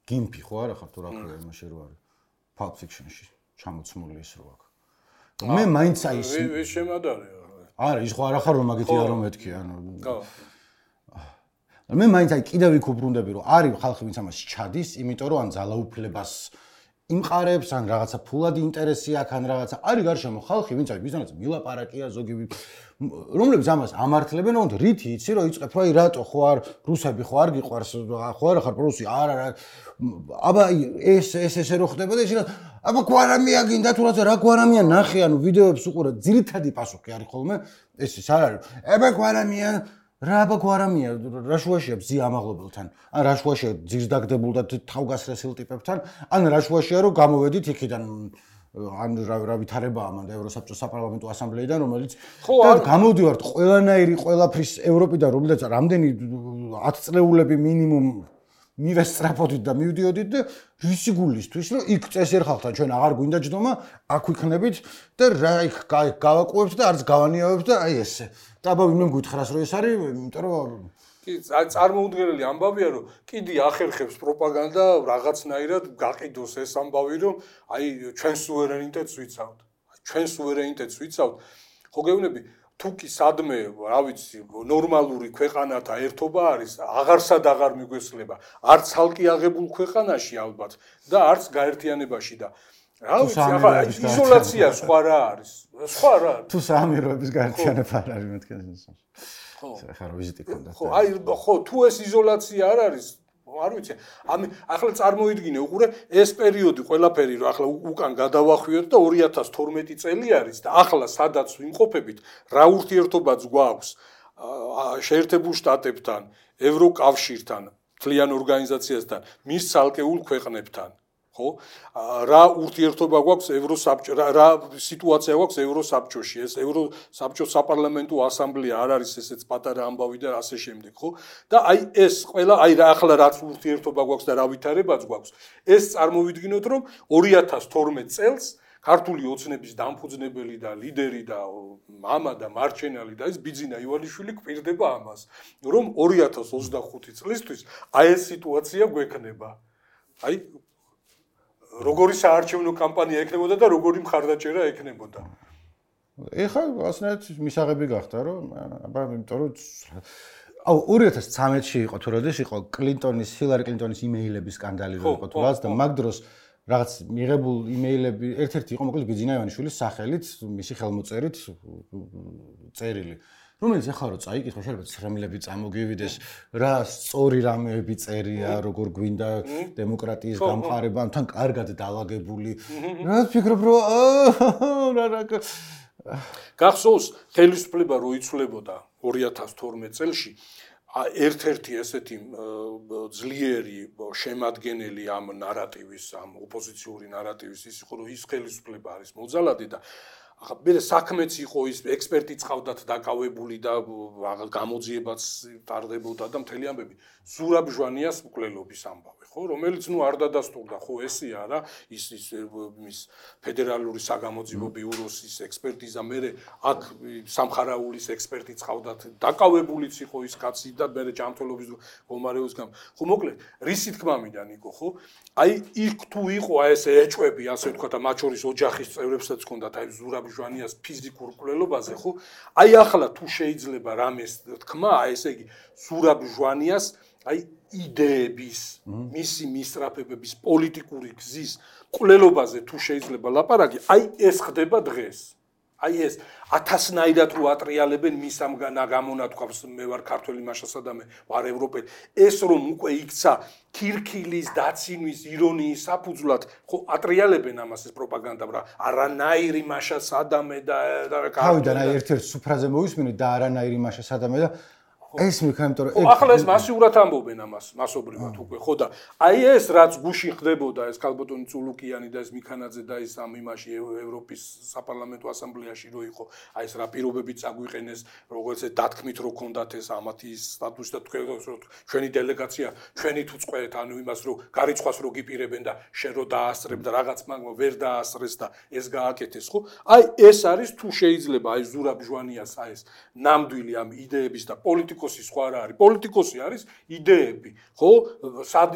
გიმფი ხო არა ხარ თუ რა ქვია იმაში რო არის. Pulp Fiction-ში ჩამოცმული ის რო აქვს. მე მაინც აი ის ეს შემადარია. არა, ის ხო არა ხარ რომ მაგითი არ მომეთქი, ანუ. ხო. მე მაინც აი კიდევ იქ უბრუნდები რომ არის ხალხი ვინც ამას ჩადის, იმიტომ რომ ან ძალაუფლებას იმყარებს, ან რაღაცა ფულადი ინტერესი აქვს, ან რაღაცა არის გარშემო ხალხი, ვინც არის ვიზანაც მილაპარაკია ზოგი რომლებიც ამას ამართლებენ, თუმცა რითი იცი რომ იწყებ რომ აი რატო ხო არ რუსები ხო არ გიყვარს, ხო არა ხარ პრუსი, არა რა აბა ეს ეს ესე რო ხდება და ისინი აბა გვარამია გინდა თუ რაღაცა რა გვარამია ნახე, ანუ ვიდეოებს უყურე, ძირითადი პასუხი არის ხოლმე ეს ის არ არის. აბა გვარამია რა აბა გვარამია რა შუაშია ბზი ამაღლებელთან ან რა შუაშია ძირს დაგდებულ და თავგასრესილ ტიპებთან ან რა შუაშია რომ გამოვედით იქიდან ან რა ვითარებაა მან და ევროსაბჭოს საპარლამენტო ასამბლეიდან რომელიც და გამოვდივართ ყველანაირი ყველაფრის ევროპიდან რომლეც რამდენი ათი წლეულები მინიმუმ მივესწრაფოდით და მივდიოდით და რისი გულისთვის რომ იქ წესიერ ხალხთან ჩვენ აღარ გვინდა ჯდომა აქ ვიქნებით და რა იქ გავაკუებთ და არც გავანიავებთ და აი ესე და აბა ვინმე გითხრას რომ ეს არის იმიტომ რომ კი წარმოუდგენელი ამბავია რომ კიდე ახერხებს პროპაგანდა რაღაცნაირად გაყიდოს ეს ამბავი რომ აი ჩვენ სუვერენიტეტს ვიცავთ ჩვენ სუვერენიტეტს ვიცავთ ხო გეუბნები თუკი სადმე რა ვიცი ნორმალური ქვეყანათა ერთობა არის აღარსად აღარ მიგვესწლება არც ხალხი აღებულ ქვეყანაში ალბათ და არც გაერთიანებაში და რა ვიცი ახლა იზოლაცია სხვა რა არის სხვა რა თუ საამიროების გაერთიანება არ არის მეთქეს ხო ხა რა ვიზიტი ქონდა ხო აი ხო თუ ეს იზოლაცია არ არის არ ვიცი ამი ახლა წარმოიდგინე უყურე ეს პერიოდი ყველაფერი რომ ახლა უკან გადავახვიოთ და ორი ათას თორმეტი წელი არის და ახლა სადაც ვიმყოფებით რა ურთიერთობაც გვაქვს შეერთებულ შტატებთან ევროკავშირთან მთლიან ორგანიზაციასთან მის ცალკეულ ქვეყნებთან ხო რა ურთიერთობა გვაქვს ევროსაბჭო რა სიტუაცია გვაქვს ევროსაბჭოში ეს ევროსაბჭოს საპარლამენტო ასამბლეა არ არის ესეც პატარა ამბავი და ასე შემდეგ ხო და აი ეს ყველა აი რა ახლა რაც ურთიერთობა გვაქვს და რა ვითარებაც გვაქვს ეს წარმოვიდგინოთ რომ ორი ათას თორმეტ წელს ქართული ოცნების დამფუძნებელი და ლიდერი და მამა და მარჩენალი და ეს ბიძინა ივანიშვილი გვპირდება ამას, რომ ორი ათას ოცდახუთი წლისთვის აი ეს სიტუაცია გვექნება. აი როგორი საარჩევნო კამპანია ექნებოდა და როგორი მხარდაჭერა ექნებოდა. ეხლა ასნაირად მისაღები გახდა, რომ აბა იმიტომ რომ აუ ორი ათას ცხრამეტში იყო თუ როდის იყო კლინტონის, ჰილარი კლინტონის იმეილების სკანდალი რო იყო თუ რაც და მაგ დროს რაღაც მიღებულ იმეილები ერთ-ერთი იყო მოკლედ ბიძინა ივანიშვილის სახელით, მისი ხელმოწერით წერილი. რომელიც ახლა რო წაიკითხო, შეიძლება ცრემლები წამოგივიდეს, რა სწორი რამეები წერია, როგორ გვინდა დემოკრატიის გამყარება, თან კარგად დაალაგებული. რა ვფიქრობ, რომ რა რა გახსოვს ხელისუფლება რო იცვლებოდა ორი ათას თორმეტ წელში ერთ-ერთი ესეთი ძლიერი შემადგენელი ამ ნარატივის, ამ ოპოზიციური ნარატივის ის იყო, რომ ის ხელისუფლება არის მოძალადე და ახლა მე საქმეც იყო ის ექსპერტიც ყავდათ დაკავებული და გამოძიებაც ტარდებოდა და მთელი ამბები ზურაბ ჟვანიას მკვლელობის ამბავი, ხო, რომელიც ნუ არ დადასტურდა, ხო, ესეა რა, ის ის მის ფედერალური საგამოძიებო ბიუროს ის ექსპერტიზა, მე აქ სამხარაულის ექსპერტიც ყავდათ, დაკავებულიც იყო ის კაცი და მე ჯანმრთელობის მდგომარეობის გამო. ხო, მოკლედ, რისი თქმა მინდა ნიკო, ხო? აი იქ თუ იყო აი ეს ეჭვები, ასე ვთქვა და მათ შორის ოჯახის წევრებსაც ჰქონდათ აი ზურაბ ჟვანიას ფიზიკურ მკვლელობაზე, ხო? აი ახლა თუ შეიძლება რამეს თქმა, აი ესე იგი ზურაბ ჟვანიას აი იდეების, მისი მისწრაფებების, პოლიტიკური გზის მკვლელობაზე თუ შეიძლება ლაპარაკი, აი ეს ხდება დღეს. აი ეს ათასნაირად რო ატრიალებენ მის ამ გამონათქვამს, მე ვარ ქართველი მაშასა და მე ვარ ევროპელი. ეს რომ უკვე იქცა ქირქილის, დაცინვის, ირონიის საფუძვლად, ხო ატრიალებენ ამას ეს პროპაგანდა, რა არანაირი მაშა სადამე და თავიდან აი ერთ-ერთ სუფრაზე მოვისმინეთ და არანაირი მაშა სადამე და ეს მიქნა, იმიტომ რომ ახლა ეს მასიურად ამბობენ ამას, მასობრივად უკვე, ხო და აი ეს რაც გუშინ ხდებოდა, ეს ქალბატონი წულუკიანი და ეს მიქანაძე და ეს ამ იმაში ევროპის საპარლამენტო ასამბლეაში რო იყო, აი ეს რა პირობებით წაგვიყენეს, როგორც ეს დათქმით რო ქონდათ ეს ამათი სტატუსი და თქვენ რომ ჩვენი დელეგაცია, ჩვენი თუ წყვეთ, ანუ იმას რო გარიცხვას რო გიპირებენ და შენ რო დაასწრებ და რაღაც მაგმა ვერ დაასწრეს და ეს გააკეთეს, ხო? აი ეს არის თუ შეიძლება აი ზურაბ ჟვანიას აი ეს ნამდვილი ამ იდეების და პოლიტიკ პოლიტიკოსი სხვა რა არის? პოლიტიკოსი არის იდეები, ხო?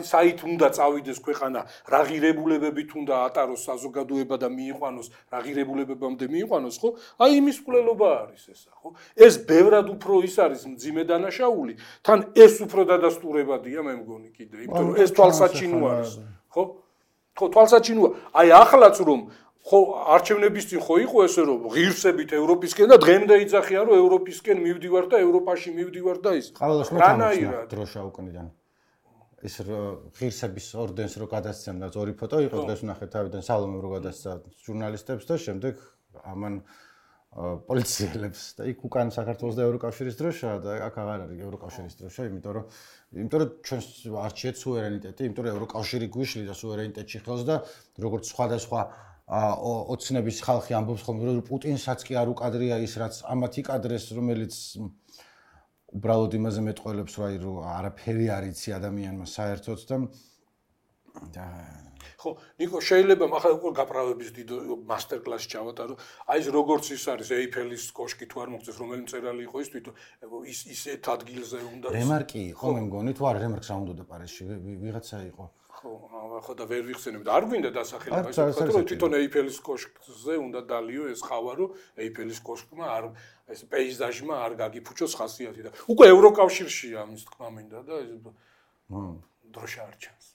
საით უნდა წავიდეს ქვეყანა, რა ღირებულებებით უნდა ატაროს საზოგადოება და მიიყვანოს, რა ღირებულებებამდე მიიყვანოს, ხო? აი იმის მკვლელობა არის ესა, ხო? ეს ბევრად უფრო ის არის მძიმე დანაშაული, თან ეს უფრო დადასტურებადია, მე მგონი კიდე, იმიტომ რომ ეს თვალსაჩინო არის, ხო? ხო, თვალსაჩინოა. აი ახლაც რომ ხო არჩევნების წინ ხო იყო ესე რომ ღირსებით ევროპისკენ და დღემდე იძახიან რომ ევროპისკენ მივდივარ და ევროპაში მივდივარ და ის რანაირად დროშა უკნიდან ეს ღირსების ორდენს რო გადასცემ და ორი ფოტო იყო დღეს ვნახეთ თავიდან სალომემ რო გადასცა ჟურნალისტებს და შემდეგ ამან პოლიციელებს და იქ უკან საქართველოს და ევროკავშირის დროშა და აქ აღარ არის ევროკავშირის დროშა, იმიტომ რომ იმიტომ რომ ჩვენს არჩიეთ სუვერენიტეტი, იმიტომ რომ ევროკავშირი გვიშლი და სუვერენიტეტში ხელს და როგორც სხვადასხვა ოცნების ხალხი ამბობს ხოლმე რომ პუტინსაც კი არ უკადრია ის რაც ამათ იკადრეს, რომელიც უბრალოდ იმაზე მეტყველებს რომ არაფერი არ იცი ადამიანმა საერთოდ და ხო, ნიკო, შეიძლება ახლა უკვე გაправების დიდ მასტერ კლასი ჩავატარო. აი ეს როგორც ის არის ეიფელის კოშკი თუ არ მოგწეს, რომელი მწერალი იყო ის თვითონ ის ისეთ ადგილზე უნდა რემარკი იყო, მე მგონი, თუ არა რემარკს რა უნდა პარიზში ვიღაცა იყო. ხო, ხო და ვერ ვიხსენებ და არ გვინდა დასახელება ის ვთქვათ რომ თვითონ ეიფელის კოშკზე უნდა დალიო ეს ხავა რომ ეიფელის კოშკმა არ ეს პეიზაჟმა არ გაგიფუჭოს ხასიათი და უკვე ევროკავშირშია ამის თქმა მინდა და ეს დროშა არ ჩანს.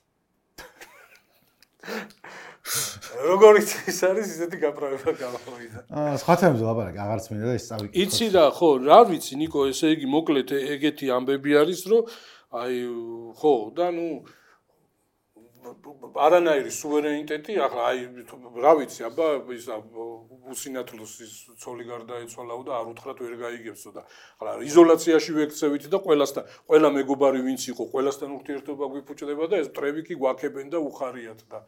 როგორც ის არის ისეთი გაправება გამოვიდა. აა სხვა თემებზე ლაპარაკი აღარც მინდა და ის წავიკითხო. იცი რა, ხო, რა ვიცი ნიკო, ესე იგი მოკლედ ეგეთი ამბები არის რომ აი ხო და ნუ არანაირი სუვერენიტეტი, ახლა აი რა ვიცი, აბა ის უსინათლოს ის ცოლი გარდაეცვალაო და არ უთხრათ ვერ გაიგებსო და ახლა იზოლაციაში ვექცევით და ყველასთან, ყველა მეგობარი ვინც იყო, ყველასთან ურთიერთობა გვიფუჭდება და ეს მტრები კი გვაქებენ და უხარიათ და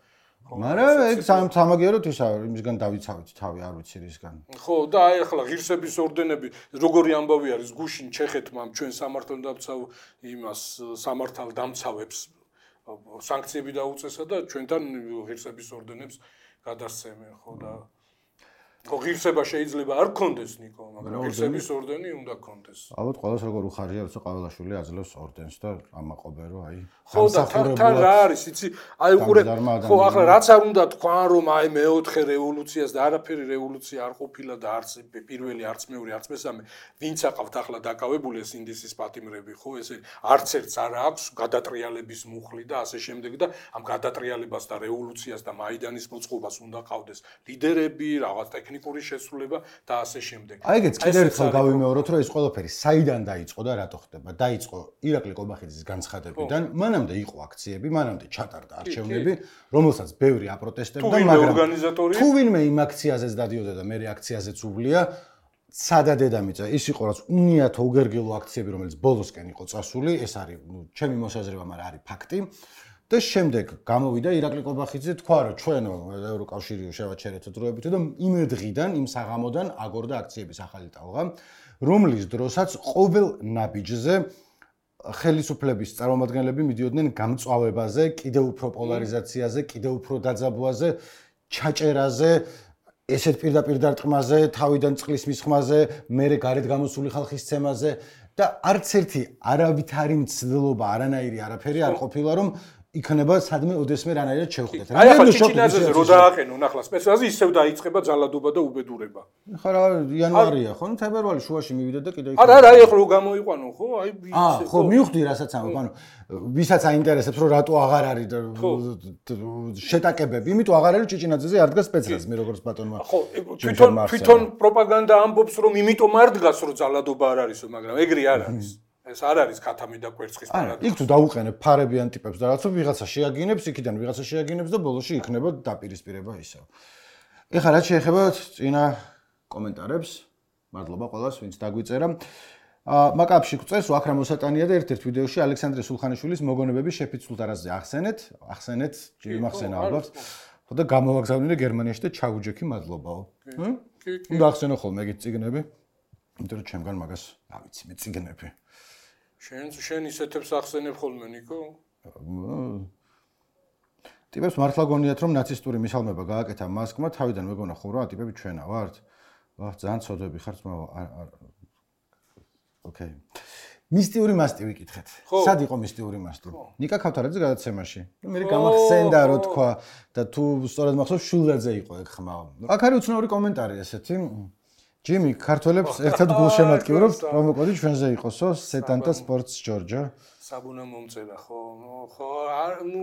მაგრამ ეგ სამაგიეროდ ისა იმისგან დავიცავით თავი, არ ვიცი რისგან. ხო, და აი ახლა ღირსების ორდენები, როგორი ამბავი არის გუშინ ჩეხეთმა ჩვენ სამართალდამცავ იმას სამართალდამცავებს სანქციები დაუწესა და ჩვენთან ღირსების ორდენებს გადასცემენ, ხო და ხო ღირსება შეიძლება არ გქონდეს ნიკო, მაგრამ ღირსების ორდენი უნდა გქონდეს. ალბათ ყველას როგორ უხარია, როცა ყოველაშვილი აძლევს ორდენს და ამაყობენ რომ აი ხო და თან რა არის, იცი? აი უყურე ხო ახლა რაც არ უნდა თქვან რომ აი მეოთხე რევოლუციას და არაფერი რევოლუცია არ ყოფილა და არც პირველი, არც მეორე, არც მესამე, ვინც აყავთ ახლა დაკავებული ეს ინდისის პატიმრები, ხო, ესე არც ერთს არ აქვს გადატრიალების მუხლი და ასე შემდეგ და ამ გადატრიალებას და რევოლუციას და მაიდანის მოწყობას უნდა ყავდეს ლიდერები, რაღაც ტექნიკური შესრულება და ასე შემდეგ. აი ეგეც კიდევ ერთხელ გავიმეოროთ, რომ ეს ყველაფერი საიდან დაიწყო და რატო ხდება? დაიწყო ირაკლი ყობახიძის განცხადებიდან, მანამდე იყო აქციები, მანამდე ჩატარდა არჩევნები, რომელსაც ბევრი აპროტესტებდა, მაგრამ თუ ვინმე იმ აქციაზეც დადიოდა და მე აქციაზეც უვლია, სადა დედამიწა, ის იყო რაც უნიათო უგერგელო აქციები, რომელიც ბოლოსკენ იყო წასული, ეს არის, ნუ, ჩემი მოსაზრება, მაგრამ არის ფაქტი. და შემდეგ გამოვიდა ირაკლი ყობახიძე თქვა რომ ჩვენ ევროკავშირიო შევაჩერეთ დროებით და იმ დღიდან იმ საღამოდან აგორდა აქციების ახალი ტალღა რომლის დროსაც ყოველ ნაბიჯზე ხელისუფლების წარმომადგენლები მიდიოდნენ გამწვავებაზე, კიდევ უფრო პოლარიზაციაზე, კიდევ უფრო დაძაბვაზე, ჩაჭერაზე, ესეთ პირდაპირ დარტყმაზე, თავიდან წყლის მისხმაზე, მერე გარეთ გამოსული ხალხის ცემაზე და არც ერთი არავითარი მცდელობა, არანაირი არაფერი არ ყოფილა რომ იქნება სადმე ოდესმე რანაირად შევხვდეთ. აი ახლა ჩიჩინაძეზე რო დააყენონ ახლა სპეციალზე ისევ დაიწყება ძალადობა და უბედურება. ხა რა იანვარია ხო? ნუ თებერვალი შუაში მივიდა და კიდე იქ. არა არა, აი ახლა რო გამოიყვანო ხო? აი აა ხო მივხვდი რასაც ამბობ, ანუ ვისაც აინტერესებს რომ რატო აღარ არის შეტაკებები, იმიტომ აღარ არის ჩიჩინაძეზე არ დგას სპეციალს მე როგორც ბატონმა. ხო, თვითონ თვითონ პროპაგანდა ამბობს რომ იმიტომ არ დგას რომ ძალადობა არ არისო, მაგრამ ეგრე არ არის. ეს არ არის ქათამი და კვერცხის პარადოქსი. იქ თუ დაუყენებ ფარებიან ტიპებს და რაღაცა ვიღაცა შეაგინებს, იქიდან ვიღაცა შეაგინებს და ბოლოში იქნება დაპირისპირება ისევ. ეხლა რაც შეეხება წინა კომენტარებს, მადლობა ყველას, ვინც დაგვიწერა. აა მაკაფში გვწერს, აქ რა მოსატანია და ერთ-ერთ ვიდეოში ალექსანდრე სულხანიშვილის მოგონებები შეფიცულ ტარაზზე ახსენეთ, ახსენეთ, ჯერ მახსენა ალბათ. ხო და გამოვაგზავნილი გერმანიაში და ჩაუჯექი მადლობაო. ჰმ? უნდა ახსენო ხოლმე ეგეთ წიგნები. იმიტომ რომ ჩემგან მაგას რა ვიცი, მე წიგნები. შენ შენ ისეთებს ახსენებ ხოლმე ნიკო? ტიპებს მართლა გონიათ რომ ნაცისტური მისალმება გააკეთა მასკმა, თავიდან მეგონა ხო რა ტიპები ჩვენა ვართ? ვაჰ, ძალიან ცოდები ხართ, მაგრამ ოკეი. მისტიური მასტი ვიკითხეთ. სად იყო მისტიური მასტი? ნიკა ქავთარაძე გადაცემაში. მე გამახსენდა რო თქვა და თუ სწორად მახსოვს შულაძე იყო ეგ ხმა. აქ არის უცნაური კომენტარი ესეთი. ჯიმი, ქართველებს ერთად გულშემატკივრობთ, პრომოკოდი ჩვენზე იყოსო, სეტანტა სპორტს ჯორჯო. საბუნა მომწერა, ხო, ხო, ნუ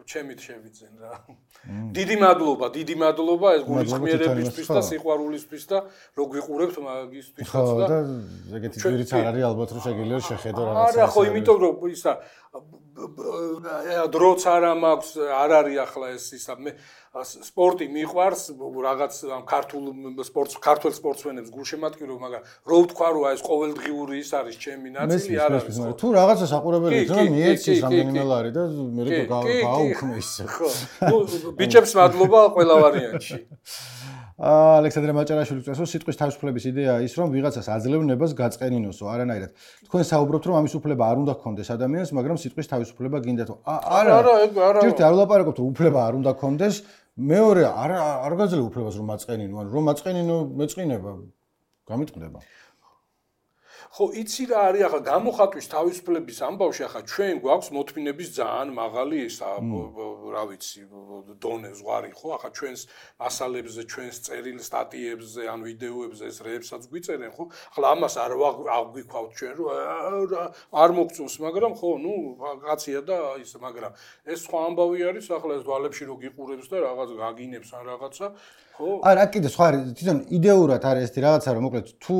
ჩემით შევიძენ რა. დიდი მადლობა, დიდი მადლობა ეს გულისხმიერებისთვის და სიყვარულისთვის და რო გვიყურებთ მაგისთვისაც და ხო, და ეგეთი ძვირიც არ არის ალბათ რომ შეგიძლია შეხედო რაღაცა. არა, ხო, იმიტომ რომ ისა დროც არ მაქვს, არ არის ახლა ეს ისა მე სპორტი მიყვარს, რაღაც ქართულ სპორტს, ქართულ სპორტსმენებს გულშემატკივრობ, მაგრამ რო ვთქვა რომ ეს ყოველდღიური ის არის ჩემი ნაწილი, არ არის. თუ რაღაცა საყურებელი რომ მიეცის რამდენიმე ლარი და მე გააუქმე ისე. ხო. ნუ ბიჭებს მადლობა ყველა ვარიანტში. ალექსანდრე მაჭარაშვილი წესო სიტყვის თავისუფლების იდეაა ის რომ ვიღაცას აძლევნებას გაწყენინოსო არანაირად. თქვენ საუბრობთ რომ ამის უფლება არ უნდა გქონდეს ადამიანს, მაგრამ სიტყვის თავისუფლება გინდათ. არა, არა, არა. ჯერტი არ ვლაპარაკობთ რომ უფლება არ უნდა გქონდეს, მეორე არ არ გაძლევ უფლებას რომ მაწყენინო, ანუ რომ მაწყენინო მეწყინება გამიტყდება. ხო, იცი რა არის ახლა გამოხატვის თავისუფლების ამბავში ახლა ჩვენ გვაქვს მოთმინების ძალიან მაღალი ისა, რა ვიცი, დონე ზღვარი ხო, ახლა ჩვენს მასალებზე, ჩვენს წერილ სტატიებზე, ან ვიდეოებზე ეს რეებსაც გვიწერენ ხო? ახლა ამას არ აღვიქვავთ ჩვენ რომ არ მოგწონს, მაგრამ ხო, ნუ კაცია და ის, მაგრამ ეს სხვა ამბავი არის, ახლა ეს დვალებში რო გიყურებს და რაღაც გაგინებს ან რაღაცა, ხო? არა, კიდე სხვა არის, თვითონ იდეურად არის ეს რაღაცა რომ მოკლედ თუ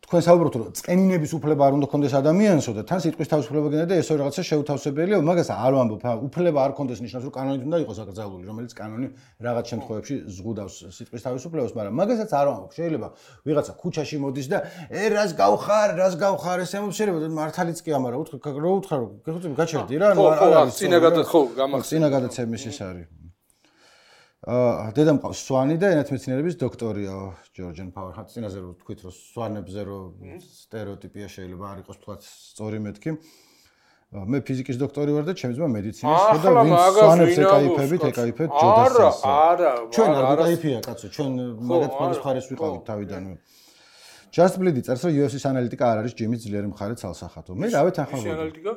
თქვენ საუბრობთ რომ წენინების უფლება არ უნდა გქონდეს ადამიანსო და თან სიტყვის თავისუფლება გინდა და ესო რაღაცა შეუთავსებელია, მაგას არ ვამბობ, უფლება არ გქონდეს ნიშნავს რომ კანონით უნდა იყოს აკრძალული, რომელიც კანონი რაღაც შემთხვევებში ზღუდავს სიტყვის თავისუფლებას, მაგრამ მაგასაც არ ვამბობ. შეიძლება ვიღაცა ქუჩაში მოდის და ე რას გავხარ, რას გავხარ, ეს ემოცირება და მართალიც კი ამარა, უთხრ რო უთხრა რომ გეხუცები გაჩერდი რა, ანუ არ არის წინა გადა ხო გამახსენე. წინა გადაცემის ის არის. აა დედამ ყავს სვანი და ენათმეცნიერების დოქტორია ჯორჯენ პაუერ. ხა წინაზე რო თქვით რომ სვანებზე რო სტერეოტიპია შეიძლება არ იყოს თქვა სწორი მეთქი. მე ფიზიკის დოქტორი ვარ და ჩემი ძმა მედიცინის და ვინც სვანებს ეკაიფებით, ეკაიფეთ ჯოდასს. არა, არა. ჩვენ არ ვიკაიფია კაცო, ჩვენ მაგათ ფანის მხარეს ვიყავით თავიდანვე. Just Bleed წერს, რომ იუ ეფ სის ანალიტიკა არ არის ჯიმის ძლიერი მხარე ცალსახათო. მე რავი თან ხარ. ის ანალიტიკა?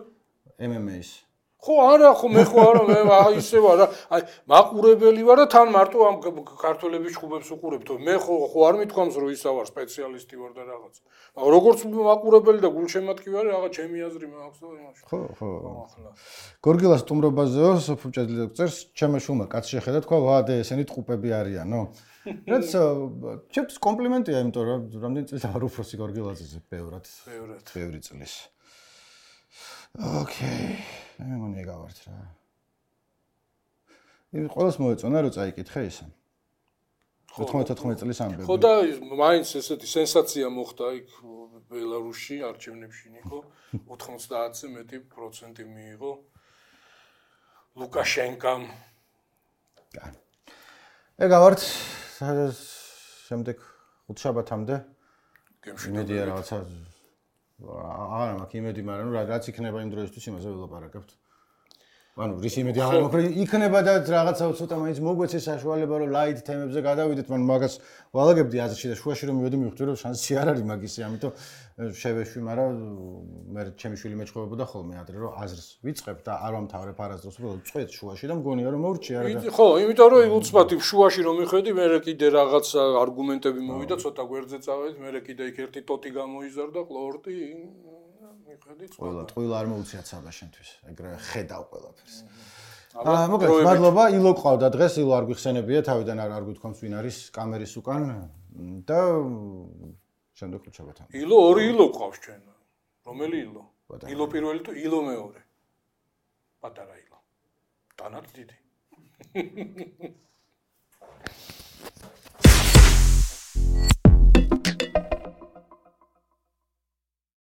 ემ ემ ეის. ხო, არა, ხო, მე ხო არა, მე ისე ვარ, აი, მაყურებელი ვარ და თან მარტო ამ ქართველების ჯგუფებს უყურებთ. მე ხო ხო არ მithქვამს, რომ ისა ვარ, სპეციალისტი ვარ და რაღაც. მაგრამ როგორც მაყურებელი და გულშემატკივარი ვარ, რაღაც ჩემი აზრი მაქვს და იმაში. ხო, ხო. გორგილას სტუმრობაზეო, სოფუჭედლი წერს, ჩემო შუმა კაცი შეხედა, თქვა, ვადე, ესენი ტყუპები არიანო. რაც ჩემთვის კომპლიმენტია, იმიტომ რომ რამდენი წელი ვარ უფროსი გორგილაძეზე, ბევრად. ბევრად. ბევრი წლის. ოკეი. მე მგონი ეგავართ რა. იმ ყველას მოეწონა რომ წაიკითხე ისა. ოთხმოცდაოთხ წლის ამბები. ხო და მაინც ესეთი სენსაცია მოხდა იქ ბელარუსში არჩევნებში ნიკო ოთხმოცდაათზე მეტი პროცენტი მიიღო ლუკაშენკამ. ეგავართ შემდეგ ხუთშაბათამდე იმედია რაღაცა არა მაქვს იმედი, მაგრამ რაც იქნება იმ დროისთვის იმაზე ველაპარაკებთ. ანუ რის იმედი აღარ მაქვს, იქნება და რაღაცა ცოტა მაინც მოგვეცეს საშუალება რომ ლაით თემებზე გადავიდეთ, მაგრამ მაგას ვალაგებდი აზრში და შუაში რომ მივედი მივხვდი რომ შანსი არ არის მაგისი, ამიტომ შევეშვი, მაგრამ მე ჩემი შვილი მეჩხობებოდა ხოლმე ადრე რომ აზრს ვიწყებ და არ ვამთავრებ არასდროს, უბრალოდ წვეთ შუაში და მგონია რომ მოვრჩია რა. ხო, იმიტომ რომ უცბად შუაში რომ მიხედი, მე კიდე რაღაცა არგუმენტები მოვიდა, ცოტა გვერდზე წავედით, მე კიდე იქ ერთი ტოტი გამოიზარდა, ყლორტი მიხედი წყობა. ყველა ტყუილ არ მოუციათ საბა შენთვის, ეგრევე ხედავ ყველაფერს. აა, მოგეთ, მადლობა, ილო ყავდა დღეს, ილო არ გვიხსენებია, თავიდან არ არ გვითქვამს ვინ არის კამერის უკან და შემდეგ ხუთშაბათამდე. ილო ორი ილო ყავს ჩვენ. რომელი ილო? ილო პირველი თუ ილო მეორე? პატარა ილო. თანაც დიდი.